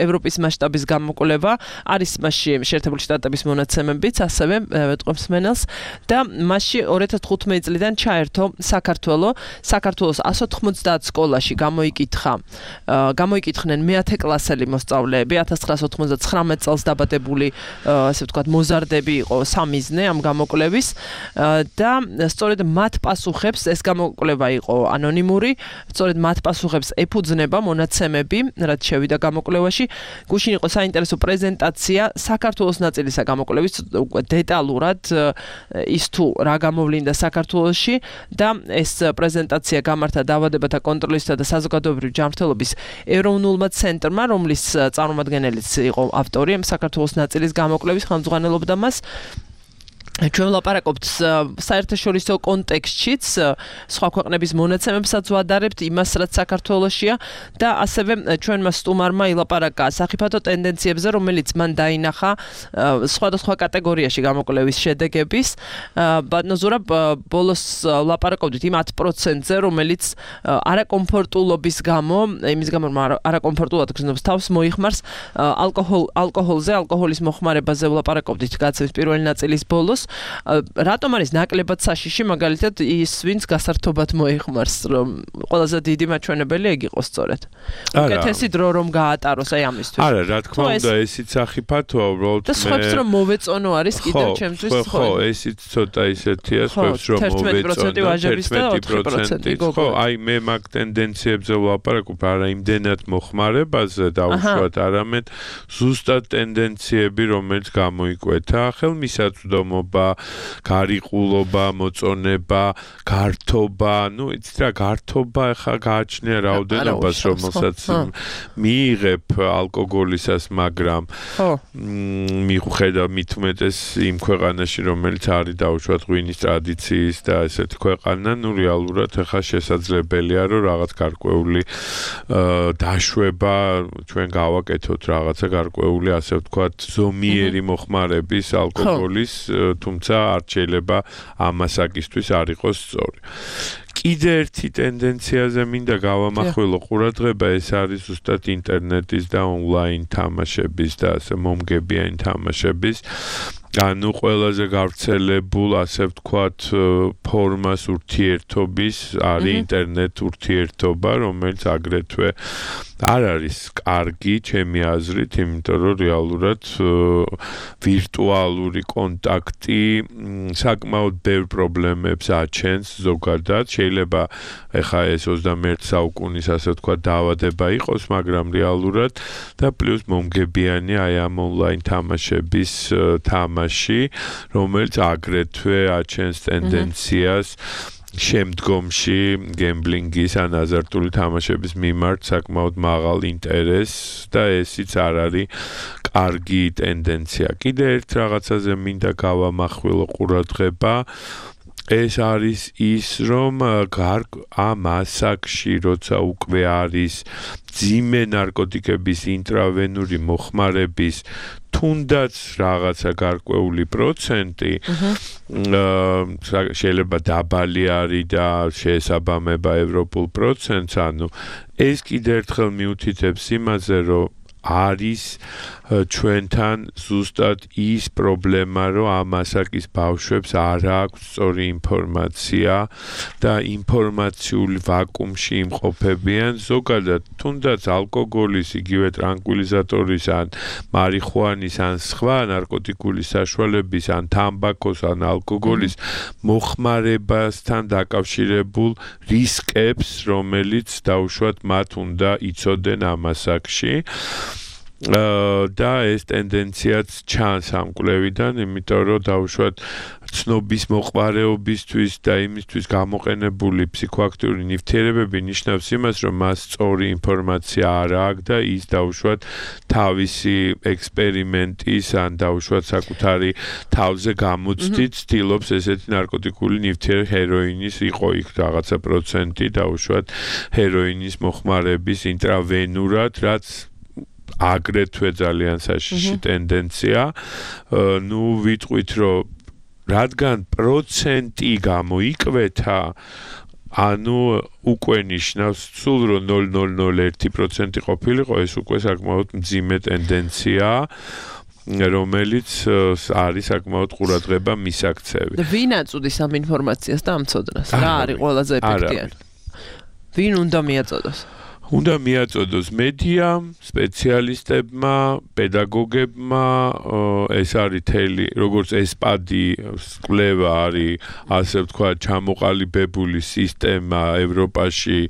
ევროპის მასშტაბის გამოკვლევა არის მასში შეერთებული შტატების მონაცემებიც ასევე ვეთყობს მენელს და მასში 2015 წლიდან ჩაერთო საქართველოს 190 სკოლაში გამოიკითხნენ მე-10 კლასელი მოსწავლეები 1999 წელს დაბადებული ასე ვთქვათ მოზარდები იყო სამიზნე ამ გამოკვლევის და სწორედ მათ პასუხებს ეს გამოკვლევა იყო ანონიმური სწორედ მათ პასუხებს ეფუძნება მონაცემები რაც შევიდა გამოკვლევაში გუშინ იყო საინტერესო პრეზენტაცია საქართველოს ნაწილისა გამოკვლევის დეტალურად ის თუ რა გამოვლინდა საქართველოში და ეს პრეზენტაცია გამართა დაავადებათა კონტროლისა და საზოგადოებრივი ჯანმრთელობის ეროვნულმა ცენტრმა რომლის წარმომადგენელიც იყო ავტორი ამ საქართველოს ნაწილის გამოკვლევის ხელმძღვანელობდა მას ჩვენ ლაპარაკობთ საერთაშორისო კონტექსტშიც სხვა ქვეყნების მონაცემებსაც ვადარებთ იმას რაც საქართველოშია და ასევე ჩვენმა სტუმარმა ილაპარაკა სახიფათო ტენდენციებზე რომელიც მან დაინახა სხვადასხვა კატეგორიაში გამოკვლევის შედეგების ბატონო ზურაბ ბოლოს ლაპარაკობდით იმ 10%-ზე რომელიც არაკომფორტულობის გამო იმის გამო რომ არაკომფორტულად გრძნობს თავს მოიხმარს ალკოჰოლზე ალკოჰოლის მოხმარებაზე ვლაპარაკობდით გაცემის პირველი ნაწილის ბოლოს რატომ არის ნაკლებად საშიში მაგალითად ის ვინც გასართობად მოიხმარს რომ ყველაზე დიდი მაჩვენებელი ეგ იყოს სწორედ უკეთესი დრო რომ გაატაროს აი ამისთვის არა რა თქმა უნდა ესიც სახიფათოა უბრალოდ და სხვებს რომ მოვეწონო არის კიდევ ჩემთვის ხო ესიც ცოტა ისეთია სხვებს რომ მოვეწონო 11% ხო აი მე მაგ ტენდენციებზე ვლაპარაკობ არა იმდენად მოხმარებაზე დაუშვათ არამედ ზუსტად ტენდენციები რომელიც გამოიკვეთა ხელმისაწვდომობა გარიყულობა, მოწონება, გართობა, ნუ იცით რა გართობა ხა გააჩნია რაოდენობას რომელსაც მიიღებ ალკოგოლისას, მაგრამ მიუხედავად მით უმეტეს იმ ქვეყანაში რომელიც არის დაუშვათ ღვინის ტრადიციის და ესეთი ქვეყანა, ნუ რეალურად ხა შესაძლებელია რომ რაღაც გარკვეული დაშვება ჩვენ გავაკეთოთ რაღაცა გარკვეული ასე ვთქვათ ზომიერი მოხმარების ალკოგოლის თუმცა არ შეიძლება ამასაკისთვის არ იყოს სწორი. კიდე ერთი ტენდენციაზე მინდა გავამახვილო ყურადღება ეს არის ზუსტად ინტერნეტის და ონლაინ თამაშების და ასე მომგებიანი თამაშების ანუ ყველაზე გავრცელებულ ასე ვთქვათ ფორმას ურთიერთობის არის ინტერნეტ ურთიერთობა რომელიც აგრეთვე არ არის კარგი ჩემი აზრით იმიტომ რომ რეალურად ვირტუალური კონტაქტი საკმაოდ ბევრ პრობლემებს აჩენს ზოგადად შეიძლება ეხა ეს 21 საუკუნის ასე ვთქვათ დაავადება იყოს მაგრამ რეალურად და პლუს მომგებიანი აი ამ ონლაინ თამაშების თამაში რომელიც აგრეთვე აჩენს ტენდენციას შემდგომში გემბლინგის ან აზარტული თამაშების მიმართ საკმაოდ მაღალ ინტერესს და ესიც არ არის კარგი ტენდენცია. კიდე ერთ რაღაცაზე მინდა გავამახვილო ყურადღება. ეს არის ის, რომ ამ ასაკში, როცა უკვე არის ძიმე ნარკოტიკების ინტრავენური მოხმარების თუნდაც რაღაცა გარკვეული პროცენტი შეიძლება დაბალი არის და შეესაბამება ევროპულ პროცენტს, ანუ ეს კიდე ერთხელ მიუთითებს იმაზე, რომ არის ჩვენთან ზუსტად ის პრობლემა, რომ ამ ასაკის ბავშვებს არ აქვს სწორი ინფორმაცია და ინფორმაციული ვაკუუმში იმყოფებიან. ზოგადად, თუნდაც ალკოგოლის, იგივე ტრანკვილიზატორის ან მარიხუანის ან სხვა ნარკოტიკული საშუალების ან თამბაქოს ან ალკოგოლის მოხმარებასთან დაკავშირებულ რისკებს, რომელიც დაუშვათ მათ უნდა იცოდნენ ამ ასაკში. და ეს ტენდენციაც ჩანს ამ კვლევიდან, იმიტომ რომ დაუშვათ ცნობის მოყვარეობისთვის და იმისთვის გამოყენებული ფსიქოაქტიური ნივთიერებები ნიშნავს იმას, რომ მას სწორი ინფორმაცია არ აქვს და ის დაუშვათ თავისი ექსპერიმენტის ან დაუშვათ საკუთარი თავზე გამოცდით ცდილობს ესეთი ნარკოტიკული ნივთიერი ჰეროინის იყო იქ რაღაცა პროცენტი დაუშვათ ჰეროინის მოხმარების ინტრავენურად, რაც აგრეთვე ძალიან საშიში ტენდენცია. ნუ ვიტყვით, რომ რადგან პროცენტი გამოიკვეთა, ანუ უკვე ნიშნავს სულ რომ 0.001% ყოფილიყო, ეს უკვე საკმაოდ მძიმე ტენდენცია, რომელიც არის საკმაოდ ყურადღება მისაქცევი. და ვინ აწუდის ამ ინფორმაციას და ამ ცოდნას? რა არის ყველაზე ეფექტიანი? ვინ უნდა მიაწოდოს? უნდა მიაწოდოს მედიამ, სპეციალისტებმა, პედაგოგებმა, ეს არის თელი, როგორც ესპადი კვლევა არის, ასე ვთქვათ, ჩამოყალიბებული სისტემა ევროპაში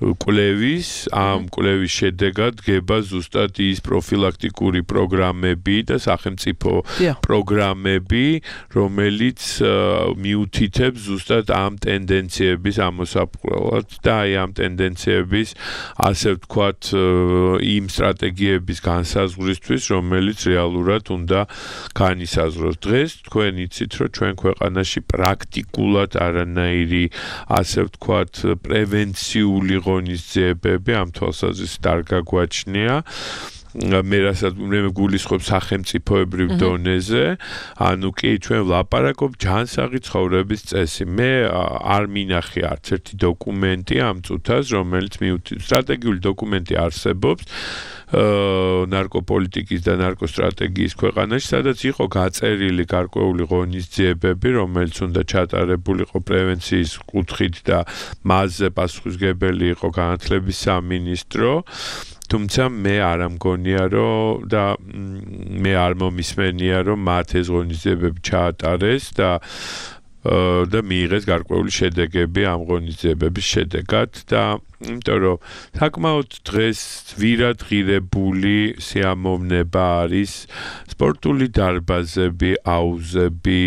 კვლევის, ამ კვლევის შედეგად დგება ზუსტად ის პროფილაქტიკური პროგრამები და სახელმწიფო პროგრამები, რომელიც მიუთითებს ზუსტად ამ ტენდენციების ამოსაყრელად და აი ამ ტენდენციების ასე ვთქვათ, იმ სტრატეგიების განსაზღვრისთვის, რომელიც რეალურად უნდა განისაზღვროს. დღეს თქვენ იცით, რომ ჩვენ ქვეყანაში პრაქტიკულად არანაირი, ასე ვთქვათ, პრევენციული ღონისძიებები ამ თვალსაზრისით არ გაგვაჩნია. მე რასაც მე გულისხმობ სახელმწიფოებრივ დონეზე, ანუ კი ჩვენ ვლაპარაკობ ჯანსაღი ცხოვრების წესი. მე არ მინახე არც ერთი დოკუმენტი ამ წუთას, რომელიც სტრატეგიული დოკუმენტი არსებობს ნარკოპოლიტიკის და ნარკოსტრატეგიის ქვეყანაში, სადაც იყო გაწერილი გარკვეული ღონისძიებები, რომელიც უნდა ჩატარებულიყო პრევენციის კუთხით და მასზე პასუხისმგებელი იყო განათლების სამინისტრო. თუმცა მე არ ამგონია, რომ და მე არ მომისმენია, რომ მათ ეს ღონისძიებები ჩაატარეს და მიიღეს გარკვეული შედეგები ამ ღონისძიებების შედეგად და იმიტომ რომ საკმაოდ დღეს ვირადღირებული სიამოვნება არის სპორტული დარბაზები, აუზები,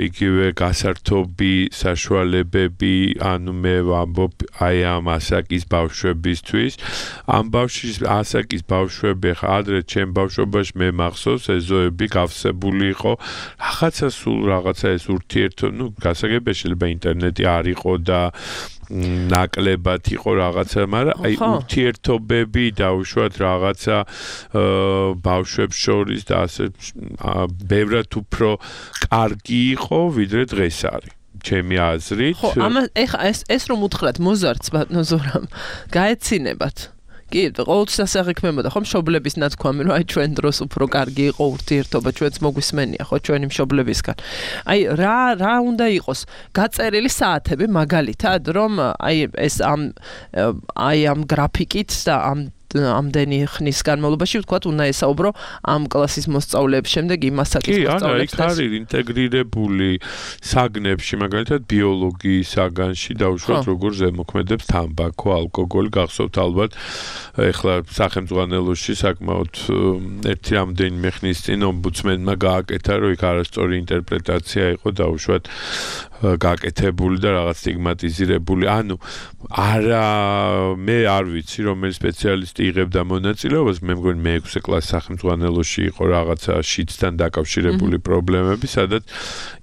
იგივე გასართობი საშუალებები, ანუ მე ვამბობ აი ამ ასაკის ბავშვებისთვის. ამ ასაკის ბავშვები ხა ადრე ჩემ ბავშვობაში მე მახსოვს ეზოები გავსებული იყო, რაღაცა სულ რაღაცა ეს ურთიერთო, ნუ გასაგებია შეიძლება ინტერნეტი არ იყო და ნაკლებად იყო რაღაცა, მაგრამ აი ურთიერთობები დაუშვათ რაღაცა ბავშვებს შორის და ასე ბევრად უფრო კარგი იყო, ვიდრე დღეს არის. ჩემი აზრით. ხო, ეხა ეს რომ უთხრათ მოზარდს ბატონო ზორამ, გაეცინებათ. კი, ყოველთვის ასე აღიქმებოდა, ხო, მშობლების ნათქვამი, რომ აი ჩვენ დროს უფრო კარგი იყო ურთიერთობა, ჩვენც მოგვისმენია, ხო, ჩვენი მშობლებისგან. აი რა უნდა იყოს? გაწერილი საათები მაგალითად, რომ აი ეს ამ გრაფიკით და ამდენი ხნის განმავლობაში ვთქვათ, უნდა ესაუბრო ამ კლასის მოსწავლეებს, შემდეგ იმ ასაკის მოსწავლეებს. კი, არის ინტეგრირებული საგნებში, მაგალითად ბიოლოგიის საგანში დაუშვათ როგორ ზემოქმედებს თამბაქო, ალკოგოლი, გახსოვთ ალბათ, ეხლა სახელმწიფოში საკმაოდ ერთი რამდენიმე ხნის წინ ომბუდსმენმა გააკეთა, რომ იქ არასწორი ინტერპრეტაცია იყო დაუშვათ გაკეთებული და რაღაც სტიგმატიზირებული. ანუ არა მე არ ვიცი რომელი სპეციალისტი იღებდა მონაწილეობას, მე მგონი მე-6 კლასის სახელმძღვანელოში იყო რაღაცა შიდსთან დაკავშირებული პრობლემები, სადაც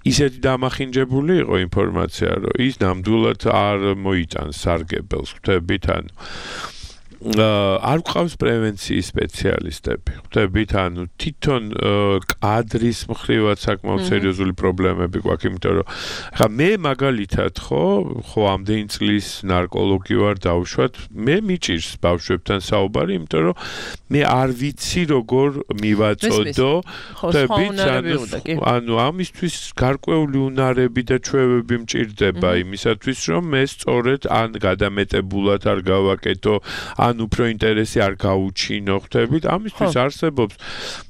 ისეთი დამახინჯებული იყო ინფორმაცია, რომ ის ნამდვილად არ მოიტანს სარგებელს, ხვდებით, ანუ არ გვყავს პრევენციის სპეციალისტები. ხვდებით, ანუ თვითონ კადრის მხრივაც საკმაოდ სერიოზული პრობლემები გვაქვს, იმიტომ რომ ხა მე მაგალითად ხო ამდენი წლის ნარკოლოგი ვარ დავუშვათ, მე მიჭირს ბავშვებთან საუბარი, იმიტომ რომ მე არ ვიცი როგორ მივაწოდო, ხვდებით, ანუ ამისთვის გარკვეული უნარები და ჩვევები მჭირდება იმისათვის, რომ მე სწორედ ან გადამეტებულად არ გავაკეთო, ან უფრო ინტერესი არ გაუჩინო, ხვდებით, ამისთვის არსებობს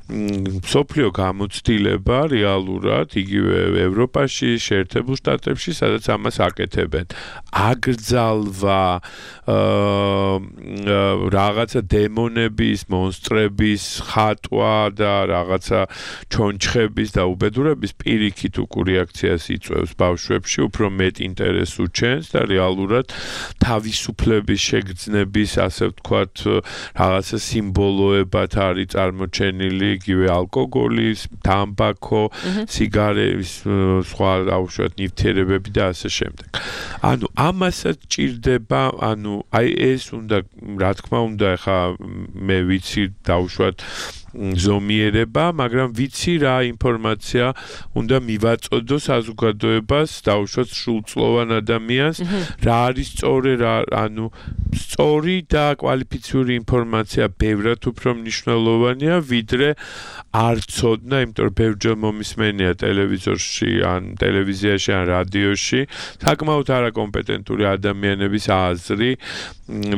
მსოფლიო გამოცდილება რეალურად იგივე ევროპაში, შეერთებულ შტატებში, სადაც ამას აკეთებენ. აკრძალვა რაღაცა დემონების, მონსტრების ხატვა და რაღაცა ჩონჩხების და უბედურების პირიქით უკუ რეაქციას იწვევს ბავშვებში, უფრო მეტ ინტერესს უჩენს და რეალურად თავისუფლების შეგრძნების, ასე ვთქვათ, რაღაცა სიმბოლოებად არის წარმოჩენილი იგივე ალკოგოლის, თამბაქო, სიგარების, სხვა აუშვათ ნივთიერებები და ასე შემდეგ. ანუ ამასაც ჭირდება, ანუ აი ეს უნდა, რა თქმა უნდა, ხა მე ვიცი დაუშვათ ზომიერება, მაგრამ ვიცი რა ინფორმაცია უნდა მივაწოდო საზოგადოებას, დაუშვათ სრულწლოვან ადამიანს, რა არის სწორი, ანუ სწორი და კვალიფიციური ინფორმაცია ბევრად უფრო მნიშვნელოვანია, ვიდრე არ ცოდნა, იმიტომ რომ ბევრჯერ მომისმენია ტელევიზორში, ან ტელევიზიაში, ან რადიოში, საკმაოდ არაკომპეტენტური ადამიანების აზრი,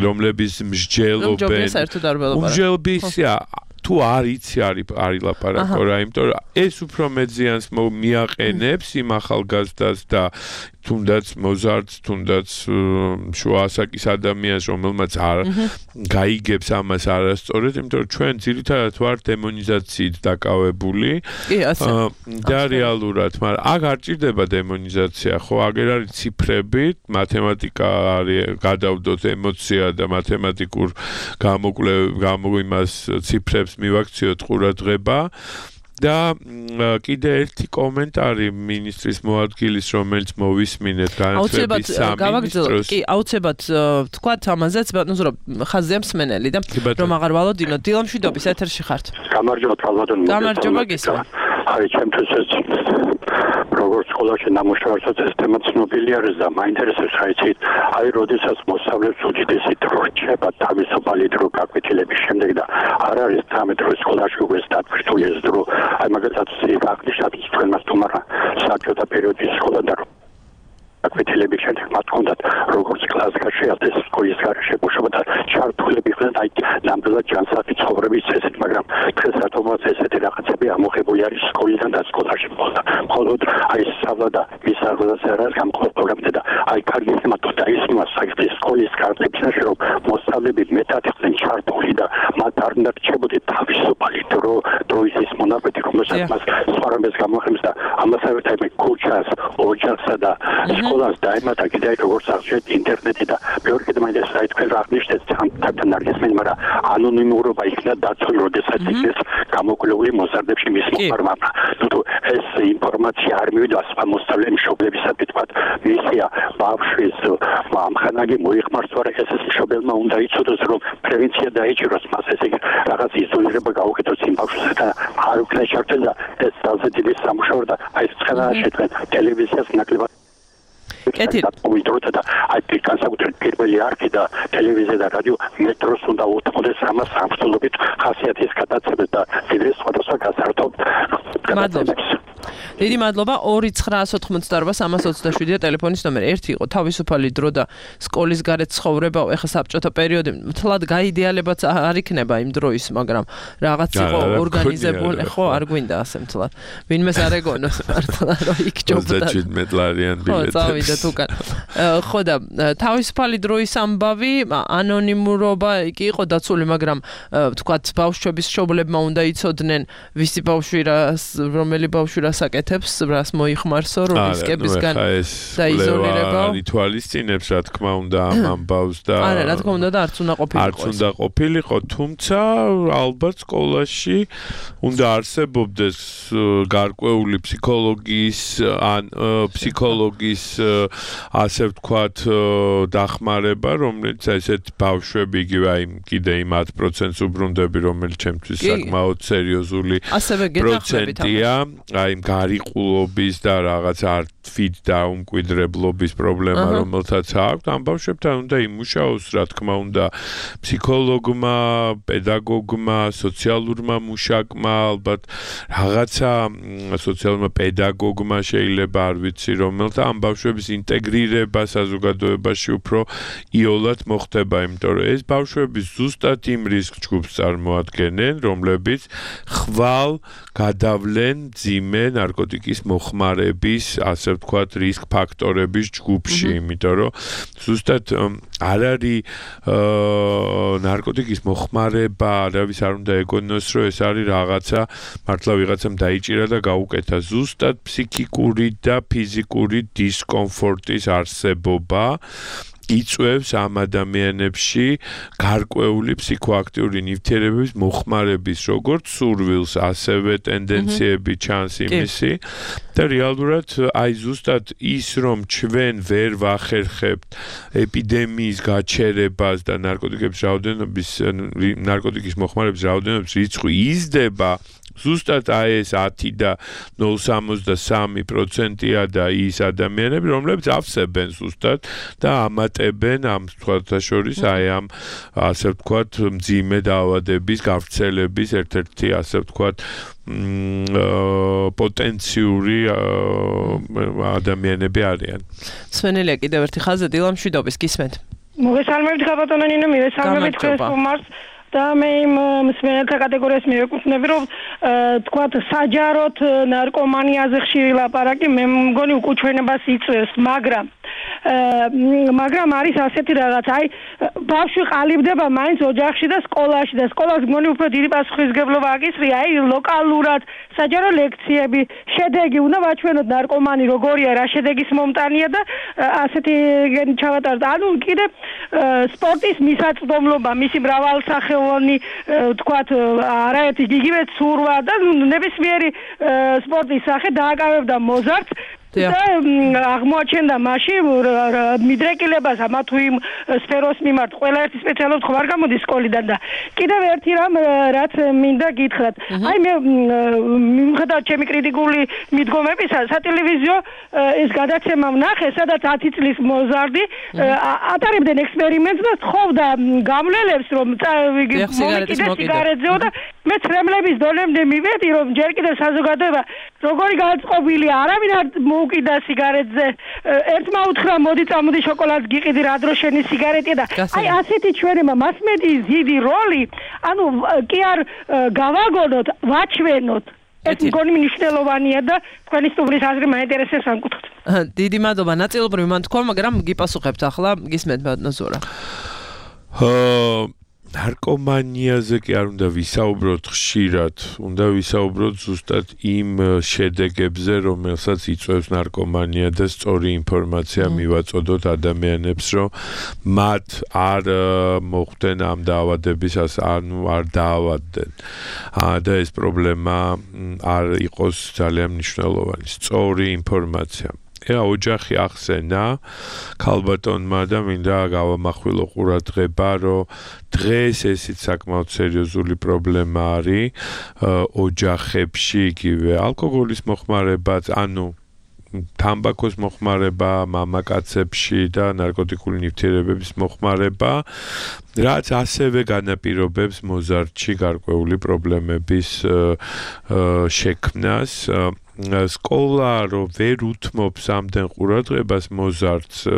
რომლების მსჯელობენ, თუ არ იცი არის ლაპარაკო რა, იმიტომ რომ ეს უფრო მეტ ზიანს მიაყენებს იმ ახალგაზრდას და თუნდაც მოზარდს, თუნდაც შუა ასაკის ადამიანს, რომელმაც არ გაიგებს ამას არასწორად, იმიტომ რომ ჩვენ ძირითადად ვართ დემონიზაციით დაკავებული და რეალურად, მაგრამ აქ არ ჭირდება დემონიზაცია, ხო, აგერ არის ციფრები, მათემატიკა არის, გადავდოთ ემოცია და მათემატიკურ იმას ციფრებს მივაქციოთ ყურადღება. და კიდე ერთი კომენტარი ministris მოადგილის, რომელიც მოვისმინეთ განათლების სამინისტროს. კი, აუცილებლად თქვათ ამაზეც, ბატონო ზურაბ, ხაზია მსმენელი და რომ აღარ ვალოდინოთ. დილამშვიდობის ეთერში ხართ. გამარჯობა, ბატონო. გამარჯობა, გესმით. აი, ჩემთვის ეს როგორც სკოლაში ნამუშევარსაც ეს თემა ცნობილი არის და მაინტერესებს რა იცით, აი, როდესაც მოსწავლეებს უდიდესი დრო რჩება თავისუფალი დრო გაკვეთილების შემდეგ და არ არის 13 დრო სკოლაში უკვე დათქვირთული ეს დრო. აი, მაგალითად, აღნიშნავთ თქვენმა სტუმარმა საბჭოთა პერიოდის სკოლა და გაკვეთილების შემდეგ მათ ჰქონდათ როგორც კლასში, ასე სკოლის გარშე მუშაობა და ჩართულები იყვნენ აი ნამდვილად ჯანსაღი ცხოვრების წესით, მაგრამ დღეს რატომაც ესეთი რაღაცები ამოღებული არის სკოლიდან და სკოლაში მხოლოდ აი სწავლა და მისაღებაც არის გამყოლ პროგრამები და აი კარგი თემატო და ის მასაკის სკოლის კარტების რომ მოსწავლეები მეტად იყვნენ ჩართული და მათ არ უნდა რჩებოდნენ თავისუფალი დროის მონაკვეთი, რომელსაც მას სხვა რამეს გამოხმებს და ამასავე ერთად ქუჩას, ოჯახსა და სკოლას დაემატა კიდე როგორც აღნიშნეთ ინტერნეტი და მეორე კიდე მაინტერესებს აი თქვენ რა აღნიშნეთ თან არგესმენ, მაგრამ ანონიმურობა იქნა დაცული, როდესაც იქნეს გამოკვლეული მოზარდებში მის მოხმარებმა. თუ ეს ინფორმაცია არ მივიდა სხვა მოსწავლე მშობლებისადმი თქვათ, მისია ბავშვის ამხანაგი მოიხმარს, ვარა ეს მშობელმა უნდა იცოდოს, რომ პრევენცია დაიჭიროს მას, ესე იგი რაღაც იზოლირება გაუკეთოს იმ ბავშვს და არ უკნა შარტენ და ეს ძალზე დიდი სამუშაო და აი ცხელა შეთქვენ ტელევიზიას ნაკლებად და აი განსაკუთრებით პირველი არქი და ტელევიზია და რადიო მეტროს უნდა უთმოდეს ამას სამშობლობით ხასიათის გადაცემას და ვიდრე სხვადასხვა გასართობ გადაცემებს. დიდი მადლობა. 2988327 ტელეფონის ნომერი. ერთი იყო თავისუფალი დრო და სკოლის გარეთ ცხოვრება, ეხლა საბჭოთა პერიოდი მთლად გაიდეალებაც არ იქნება იმ დროის, მაგრამ რაღაც იყო ორგანიზებული, ხო, არ გვინდა ასე მთლად. ვინმეს არ ეგონოს მართლა რომ იქ ჯობდა. 37 ლარიან ბილეთი. ხო, წავიდეთ უკან. ხო და თავისუფალი დროის ამბავი, ანონიმურობა კი იყო დაცული, მაგრამ თქვათ ბავშვების მშობლებმა უნდა იცოდნენ, ვისი ბავშვი რომელი ბავშვი რას აკეთებს აკეთებს, რას მოიხმარსო, რომ რისკებისგან დაიზოლირება. ითვალისწინებს, რა თქმა უნდა, ამ ამბავს და არა, რა თქმა უნდა და არც უნდა ყოფილიყო. არც უნდა ყოფილიყო, თუმცა ალბათ სკოლაში უნდა არსებობდეს გარკვეული ფსიქოლოგიის ან ფსიქოლოგის ასე ვთქვათ დახმარება, რომელიც ესეთ ბავშვები იგივე აი კიდე იმ 10%-ს უბრუნდები, რომელიც ჩემთვის საკმაოდ სერიოზული პროცენტია, აი გარიყულობის და რაღაც არტფით და უმკვიდრებლობის პრობლემა, რომელთაც აქვს, ამ ბავშვებთან უნდა იმუშაოს, რა თქმა უნდა, ფსიქოლოგმა, პედაგოგმა, სოციალურმა მუშაკმა, ალბათ რაღაცა სოციალურმა პედაგოგმა შეიძლება არ ვიცი, რომელთა ამ ბავშვების ინტეგრირება საზოგადოებაში უფრო იოლად მოხდება, იმიტომ რომ ეს ბავშვები ზუსტად იმ რისკ ჯგუფს წარმოადგენენ, რომლებიც ხვალ გადავლენ ძიმე ნარკოტიკის მოხმარების, ასე ვთქვათ, რისკ ფაქტორების ჯგუფში, იმიტომ რომ ზუსტად არ არის ნარკოტიკის მოხმარება, არავის არ უნდა ეგონოს, რომ ეს არის რაღაცა მართლა ვიღაცამ დაიჭირა და გაუკეთა. ზუსტად ფსიქიკური და ფიზიკური დისკომფორტის არსებობა იწვევს ამ ადამიანებში გარკვეული ფსიქოაქტიური ნივთიერებების მოხმარების როგორც სურვილს, ასევე ტენდენციები ჩანს იმისი და რეალურად აი ზუსტად ის რომ ჩვენ ვერ ვახერხებთ ეპიდემიის გაჩერებას და ნარკოტიკის მოხმარების რაოდენობის რიცხვი იზრდება ზუსტად აი ეს 10 და 0.63%-ია და ის ადამიანები, რომლებიც ავსებენ ზუსტად და ამატებენ ამ სხვათა შორის აი ამ ასე ვთქვათ მძიმე დაავადების გავრცელების ერთ-ერთი ასე ვთქვათ პოტენციური ადამიანები არიან. სვენელია კიდევ ერთი ხაზი დილამ შვიდობის გისმენთ. მოგესალმებით ხაბატონო ნინო, მივესალმებით თქვენს სტუმარს. და მე იმ მსმენელთა კატეგორიას მივეკუთვნები, რომ თქვათ საჯაროდ ნარკომანიაზე ხშირი ლაპარაკი მე მგონი უკუჩვენებას იწვევს, მაგრამ არის ასეთი რაღაც, აი ბავშვი ყალიბდება მაინც ოჯახში და სკოლაში და სკოლას მგონი უფრო დიდი პასუხისმგებლობა აკისრია, აი ლოკალურად საჯარო ლექციები, შედეგი უნდა ვაჩვენოთ ნარკომანი როგორია, რა შედეგის მომტანია და ასეთი ჩავატაროთ. ანუ კიდე სპორტის მისაწვდომლობა, მისი მრავალსახეობანი თქვათ არაერთი იგივე ცურვა და ნებისმიერი სპორტის სახე დააკავებდა მოზარდს და აღმოაჩენდა მაშინ მიდრეკილებას ამა თუ იმ სფეროს მიმართ ყველა ერთი სპეციალობით ხო არ გამოდის სკოლიდან და კიდევ ერთი რამ რაც მინდა გითხრათ. აი მე მიუხედავად ჩემი კრიტიკული მიდგომებისა სატელევიზიო ეს გადაცემა ვნახე, სადაც 10 წლის მოზარდი ატარებდნენ ექსპერიმენტს და თხოვდა გამლელებს რომ მომიკიდე სიგარეტზეო და მე ცრემლების დონემდე მივედი რომ ჯერ კიდევ საზოგადოება როგორი გაწყობილია, არავინ არ მოუკიდა სიგარეტზე. ერთმა უთხრა მოდი წამოდი შოკოლადს გიყიდი რა დრო შენი სიგარეტია და აი ასეთი ჩვენება მასმედიის დიდი როლი, ანუ კი არ გავაგონოთ, ვაჩვენოთ. ეს მგონი მნიშვნელოვანია და თქვენი სტუმრის აზრი მაინტერესებს ამ კუთხით. დიდი მადლობა. ნაწილობრივ მან თქვა, მაგრამ გიპასუხებთ ახლა გისმენთ ბატონო ზურა. ნარკომანიაზე კი არ უნდა ვისაუბროთ ხშირად, უნდა ვისაუბროთ ზუსტად იმ შედეგებზე, რომელსაც იწვევს ნარკომანია და სწორი ინფორმაცია მივაწოდოთ ადამიანებს, რომ მათ არ მოხვდნენ ამ დაავადების, ანუ არ დაავადდნენ. და ეს პრობლემა არ იყოს ძალიან მნიშვნელოვანი. სწორი ინფორმაცია. ოჯახი ახსენა ქალბატონმა და მინდა გავამახვილო ყურადღება, რომ დღეს ესეც საკმაოდ სერიოზული პრობლემა არის ოჯახებში, იგივე ალკოჰოლის მოხმარებაც, ანუ თამბაქოს მოხმარება მამაკაცებში და ნარკოტიკული ნივთიერებების მოხმარება, რაც ასევე განაპირობებს მოზარდში გარკვეული პრობლემების შექმნას. სკოლა რომ ვერ უთმობს ამდენ ყურადღებას მოზარდს,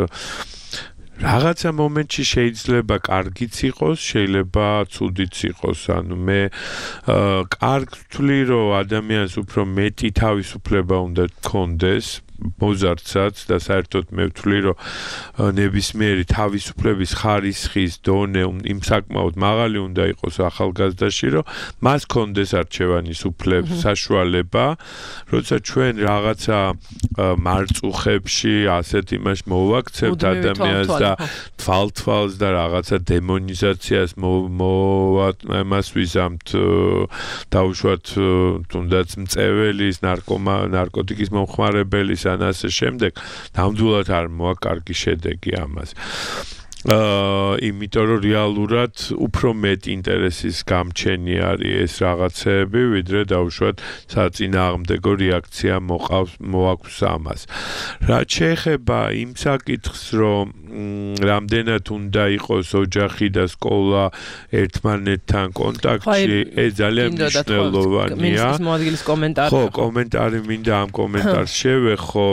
რაღაცა მომენტში შეიძლება კარგიც იყოს, შეიძლება ცუდიც იყოს. ანუ მე კარგ ვთვლი, რომ ადამიანს უფრო მეტი თავისუფლება უნდა ჰქონდეს მოზარდსაც და საერთოდ მე ვთვლი რომ ნებისმიერი თავისუფლების ხარისხის დონე იმ საკმაოდ მაღალი უნდა იყოს ახალგაზრდაში რომ მას კონდეს არჩევანის საშუალება როცა ჩვენ რაღაცა მარწუხებში ასეთ იმას მოვაქცევთ ადამიანს და თვალთვალს და რაღაცა დემონიზაციას მას ვიზამთ დაუშვათ თუნდაც მწეველის ნარკოტიკის მომხმარებელის ან ასე შემდეგ ნამდვილად არ მოაქვს კარგი შედეგი ამას იმიტომ რომ რეალურად უფრო მეტ ინტერესის გამჩენი არის ეს რაღაცეები ვიდრე დაუშვათ საწინააღმდეგო რეაქცია მოაქვს ამას რაც შეეხება იმ საკითხს რომ რამდენად უნდა იყოს ოჯახი და სკოლა ერთმანეთთან კონტაქტში ეს ძალიან მნიშვნელოვანია მინისტრის მოადგილის კომენტარი ხო კომენტარი მინდა ამ კომენტარს შევეხო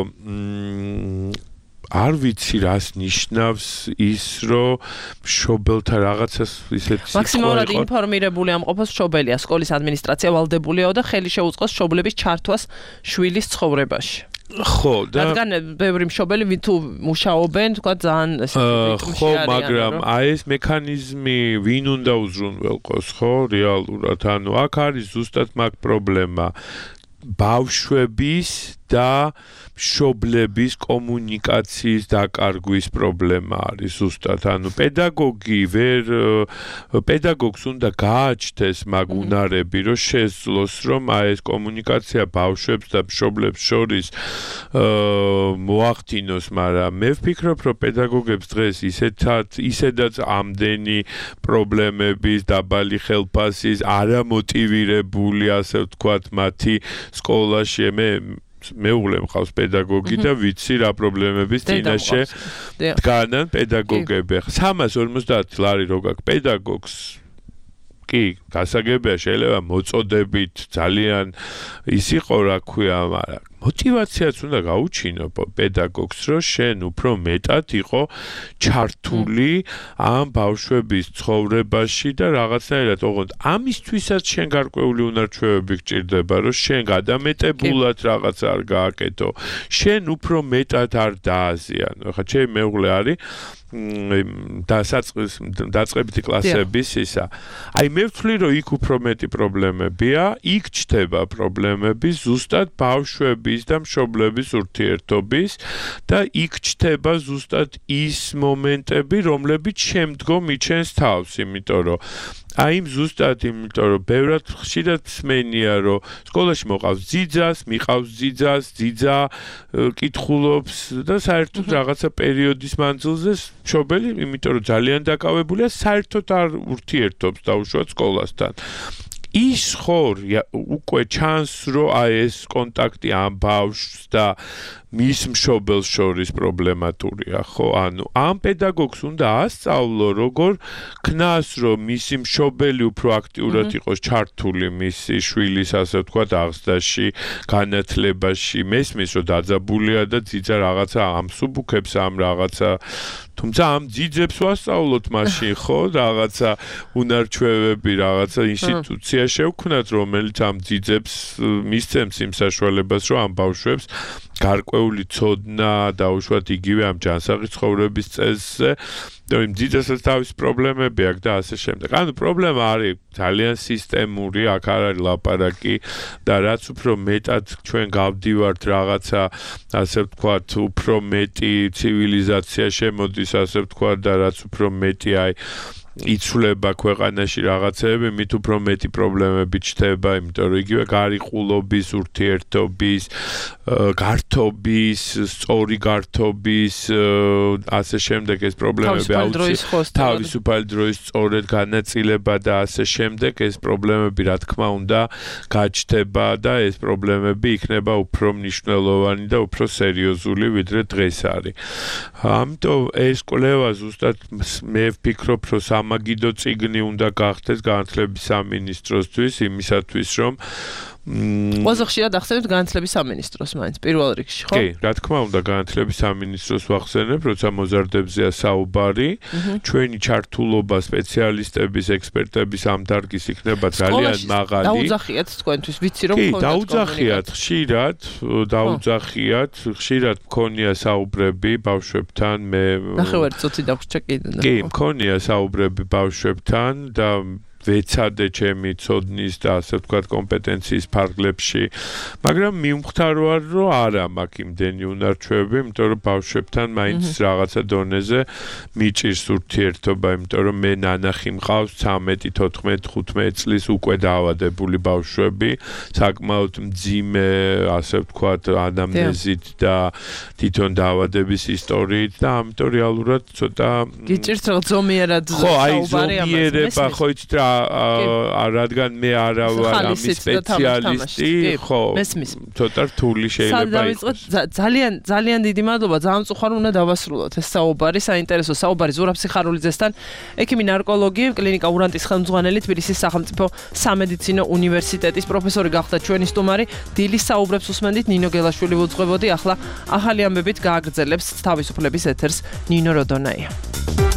არ ვიცი რას ნიშნავს ის რომ მშობელთა რაღაცას ისეთი მაქსიმალურად ინფორმირებული ამყოფოს მშობელია სკოლის ადმინისტრაცია ვალდებულია და ხელი შეუწყოს მშობლების ჩართვას შვილის ცხოვრებაში ხო და რადგან ბევრი მშობელი თუ მუშაობენ თქვა ძალიან ხო მაგრამ აი ეს მექანიზმი ვინ უნდა უზრუნველყოს ხო რეალურად ანუ აქ არის ზუსტად მაგ პრობლემა ბავშვების და მშობლების კომუნიკაციის დაკარგვის პრობლემა არის ზუსტად ანუ პედაგოგს უნდა გააჩნდეს მაგ უნარები რომ შეძლოს რომ აი ეს კომუნიკაცია ბავშვებს და მშობლებს შორის მოახდინოს მაგრამ მე ვფიქრობ რომ პედაგოგებს დღეს ისედაც ამდენი პრობლემების დაბალი ხელფასის არამოტივირებული ასე ვთქვათ მათი სკოლაში მეუღლე მყავს პედაგოგი და ვიცი რა პრობლემების წინაშე დგანან პედაგოგები. 350 ლარი რო გაქვს პედაგოგს კი, გასაგებია შეიძლება მოწოდებით ძალიან ის იყო რა ქვია, მაგრამ мотивациაც უნდა გაუჩინო პედაგოგს, რომ შენ უფრო მეტად იყო ჩართული ამ ბავშვების ცხოვრებაში და რაღაცნაირად ოღონდ ამისთვისაც შენ გარკვეული უნარჩვევები გჭირდება, რომ შენ გადამეტებულად რაღაც არ გააკეთო, შენ უფრო მეტად არ დააზიანო. ხა ჩემი მეუღლე არის დაწყებითი კლასების ისა. აი მე ვთვლი რომ იქ უფრო მეტი პრობლემებია, იქ ჩდება პრობლემები ზუსტად ბავშვების და მშობლების ურთიერთობის და იქ ჩდება ზუსტად ის მომენტები, რომლებიც შემდგომ იჩენს თავს, იმიტომ რომ აი ზუსტად იმიტომ რომ ბევრად ხშირად მსმენია რომ სკოლაში მოყავს ძიძას, მიყავს ძიძა კითხულობს და საერთოდ რაღაცა პერიოდის მანძილზე მშობელი, იმიტომ რომ ძალიან დაკავებულია, საერთოდ არ ურთიერთობს დაუშვათ სკოლასთან. ის ხო უკვე ჩანს რომ აი ეს კონტაქტი ამ ბავშვს და მის მშობელს შორის პრობლემატურია, ხო? ანუ ამ პედაგოგს უნდა ასწავლო, როგორ ქნას, რომ მისი მშობელი უფრო აქტიურად იყოს ჩართული მისი შვილის, ასე ვთქვათ, აღზრდაში, განათლებაში. მესმის, რომ დაძაბულია და ძიძა რაღაცა ამსუბუქებს ამ რაღაცა თუმცა ამ ძიძებს ვასწავლოთ მაშინ, ხო? რაღაცა უნარჩვევები, რაღაცა ინსტიტუცია შევქმნათ, რომელიც ამ ძიძებს მისცემს იმ საშუალებას, რომ ამ ბავშვებს გარკვეული ცოდნა დაუშვათ იგივე ამ ჯანსაღი ცხოვრების წესზე, და იმ ძიძასაც თავის პრობლემები აქვს და ასე შემდეგ. ანუ პრობლემა არის ძალიან სისტემური, აქ არ არის ლაპარაკი და რაც უფრო მეტად ჩვენ გავდივართ რაღაცა, ასე ვთქვათ, უფრო მეტი ცივილიზაცია შემოდის, ასე ვთქვათ, და რაც უფრო მეტი აი იცვლება ქვეყანაში რაღაცეები, მით უფრო მეტი პრობლემები ჩნდება, იმიტომ რომ იგივე გარიყულობის, ურთიერთობის, გართობის, სწორი გართობის, ასე შემდეგ ეს პრობლემები თავისუფალი დროის სწორედ განაწილება და ასე შემდეგ ეს პრობლემები რა თქმა უნდა გაჩნდება და ეს პრობლემები იქნება უფრო მნიშვნელოვანი და უფრო სერიოზული ვიდრე დღეს არის. ამიტომ ეს კვლევა ზუსტად მე ვფიქრობ რომ სამაგიდო წიგნი უნდა გახდეს განათლების სამინისტროსთვის იმისათვის რომ ყველაზე ხშირად ახსენებთ განათლების სამინისტროს მაინც პირველ რიგში, ხო? კი, რა თქმა უნდა, განათლების სამინისტროს ვახსენებ, როცა მოზარდებზეა საუბარი, ჩვენი ჩართულობა სპეციალისტების, ექსპერტების ამ დარგის იქნება ძალიან მაღალი. დაუძახიათ თქვენთვის, ვიცი რომ კი, დაუძახიათ, ხშირად მქონია საუბრები ბავშვებთან, მე ნახევარი წუთი დაგვრჩა კიდე. კი, მქონია საუბრები ბავშვებთან და ვეცადე ჩემი ცოდნის და ასე ვთქვათ კომპეტენციის ფარგლებში, მაგრამ მივხვდარ რომ არა მაქვს იმდენი უნარჩვევები, იმიტომ რომ ბავშვებთან მაინც რაღაცა დონეზე მიჭირს ურთიერთობა, იმიტომ რომ მე ნანახი მყავს 13, 14, 15 წლის უკვე დაავადებული ბავშვები, საკმაოდ მძიმე, ასე ვთქვათ, ანამნეზით და თვითონ დაავადების ისტორიით და ამიტომ რეალურად ცოტა გიჭირთ რომ ზომიერად ზომიერება ხო იცით რა რადგან მე არა ვარ ამის სპეციალისტი, ხო, ცოტა რთული შეიძლება იყოს. ძალიან დიდი მადლობა, ძალიან მწუხარ უნდა დავასრულოთ ეს საუბარი, საინტერესო საუბარი ზურაბ სიხარულიძესთან, ექიმი ნარკოლოგი, კლინიკა ურანტის ხელმძღვანელი, თბილისის სახელმწიფო სამედიცინო უნივერსიტეტის პროფესორი გახდა ჩვენი სტუმარი. დილის საუბრებს უსმენდით, ნინო გელაშვილი ვუძღვებოდი, ახლა ახალი ამბებით გააგრძელებს თავისუფლების ეთერს ნინო როდონაია.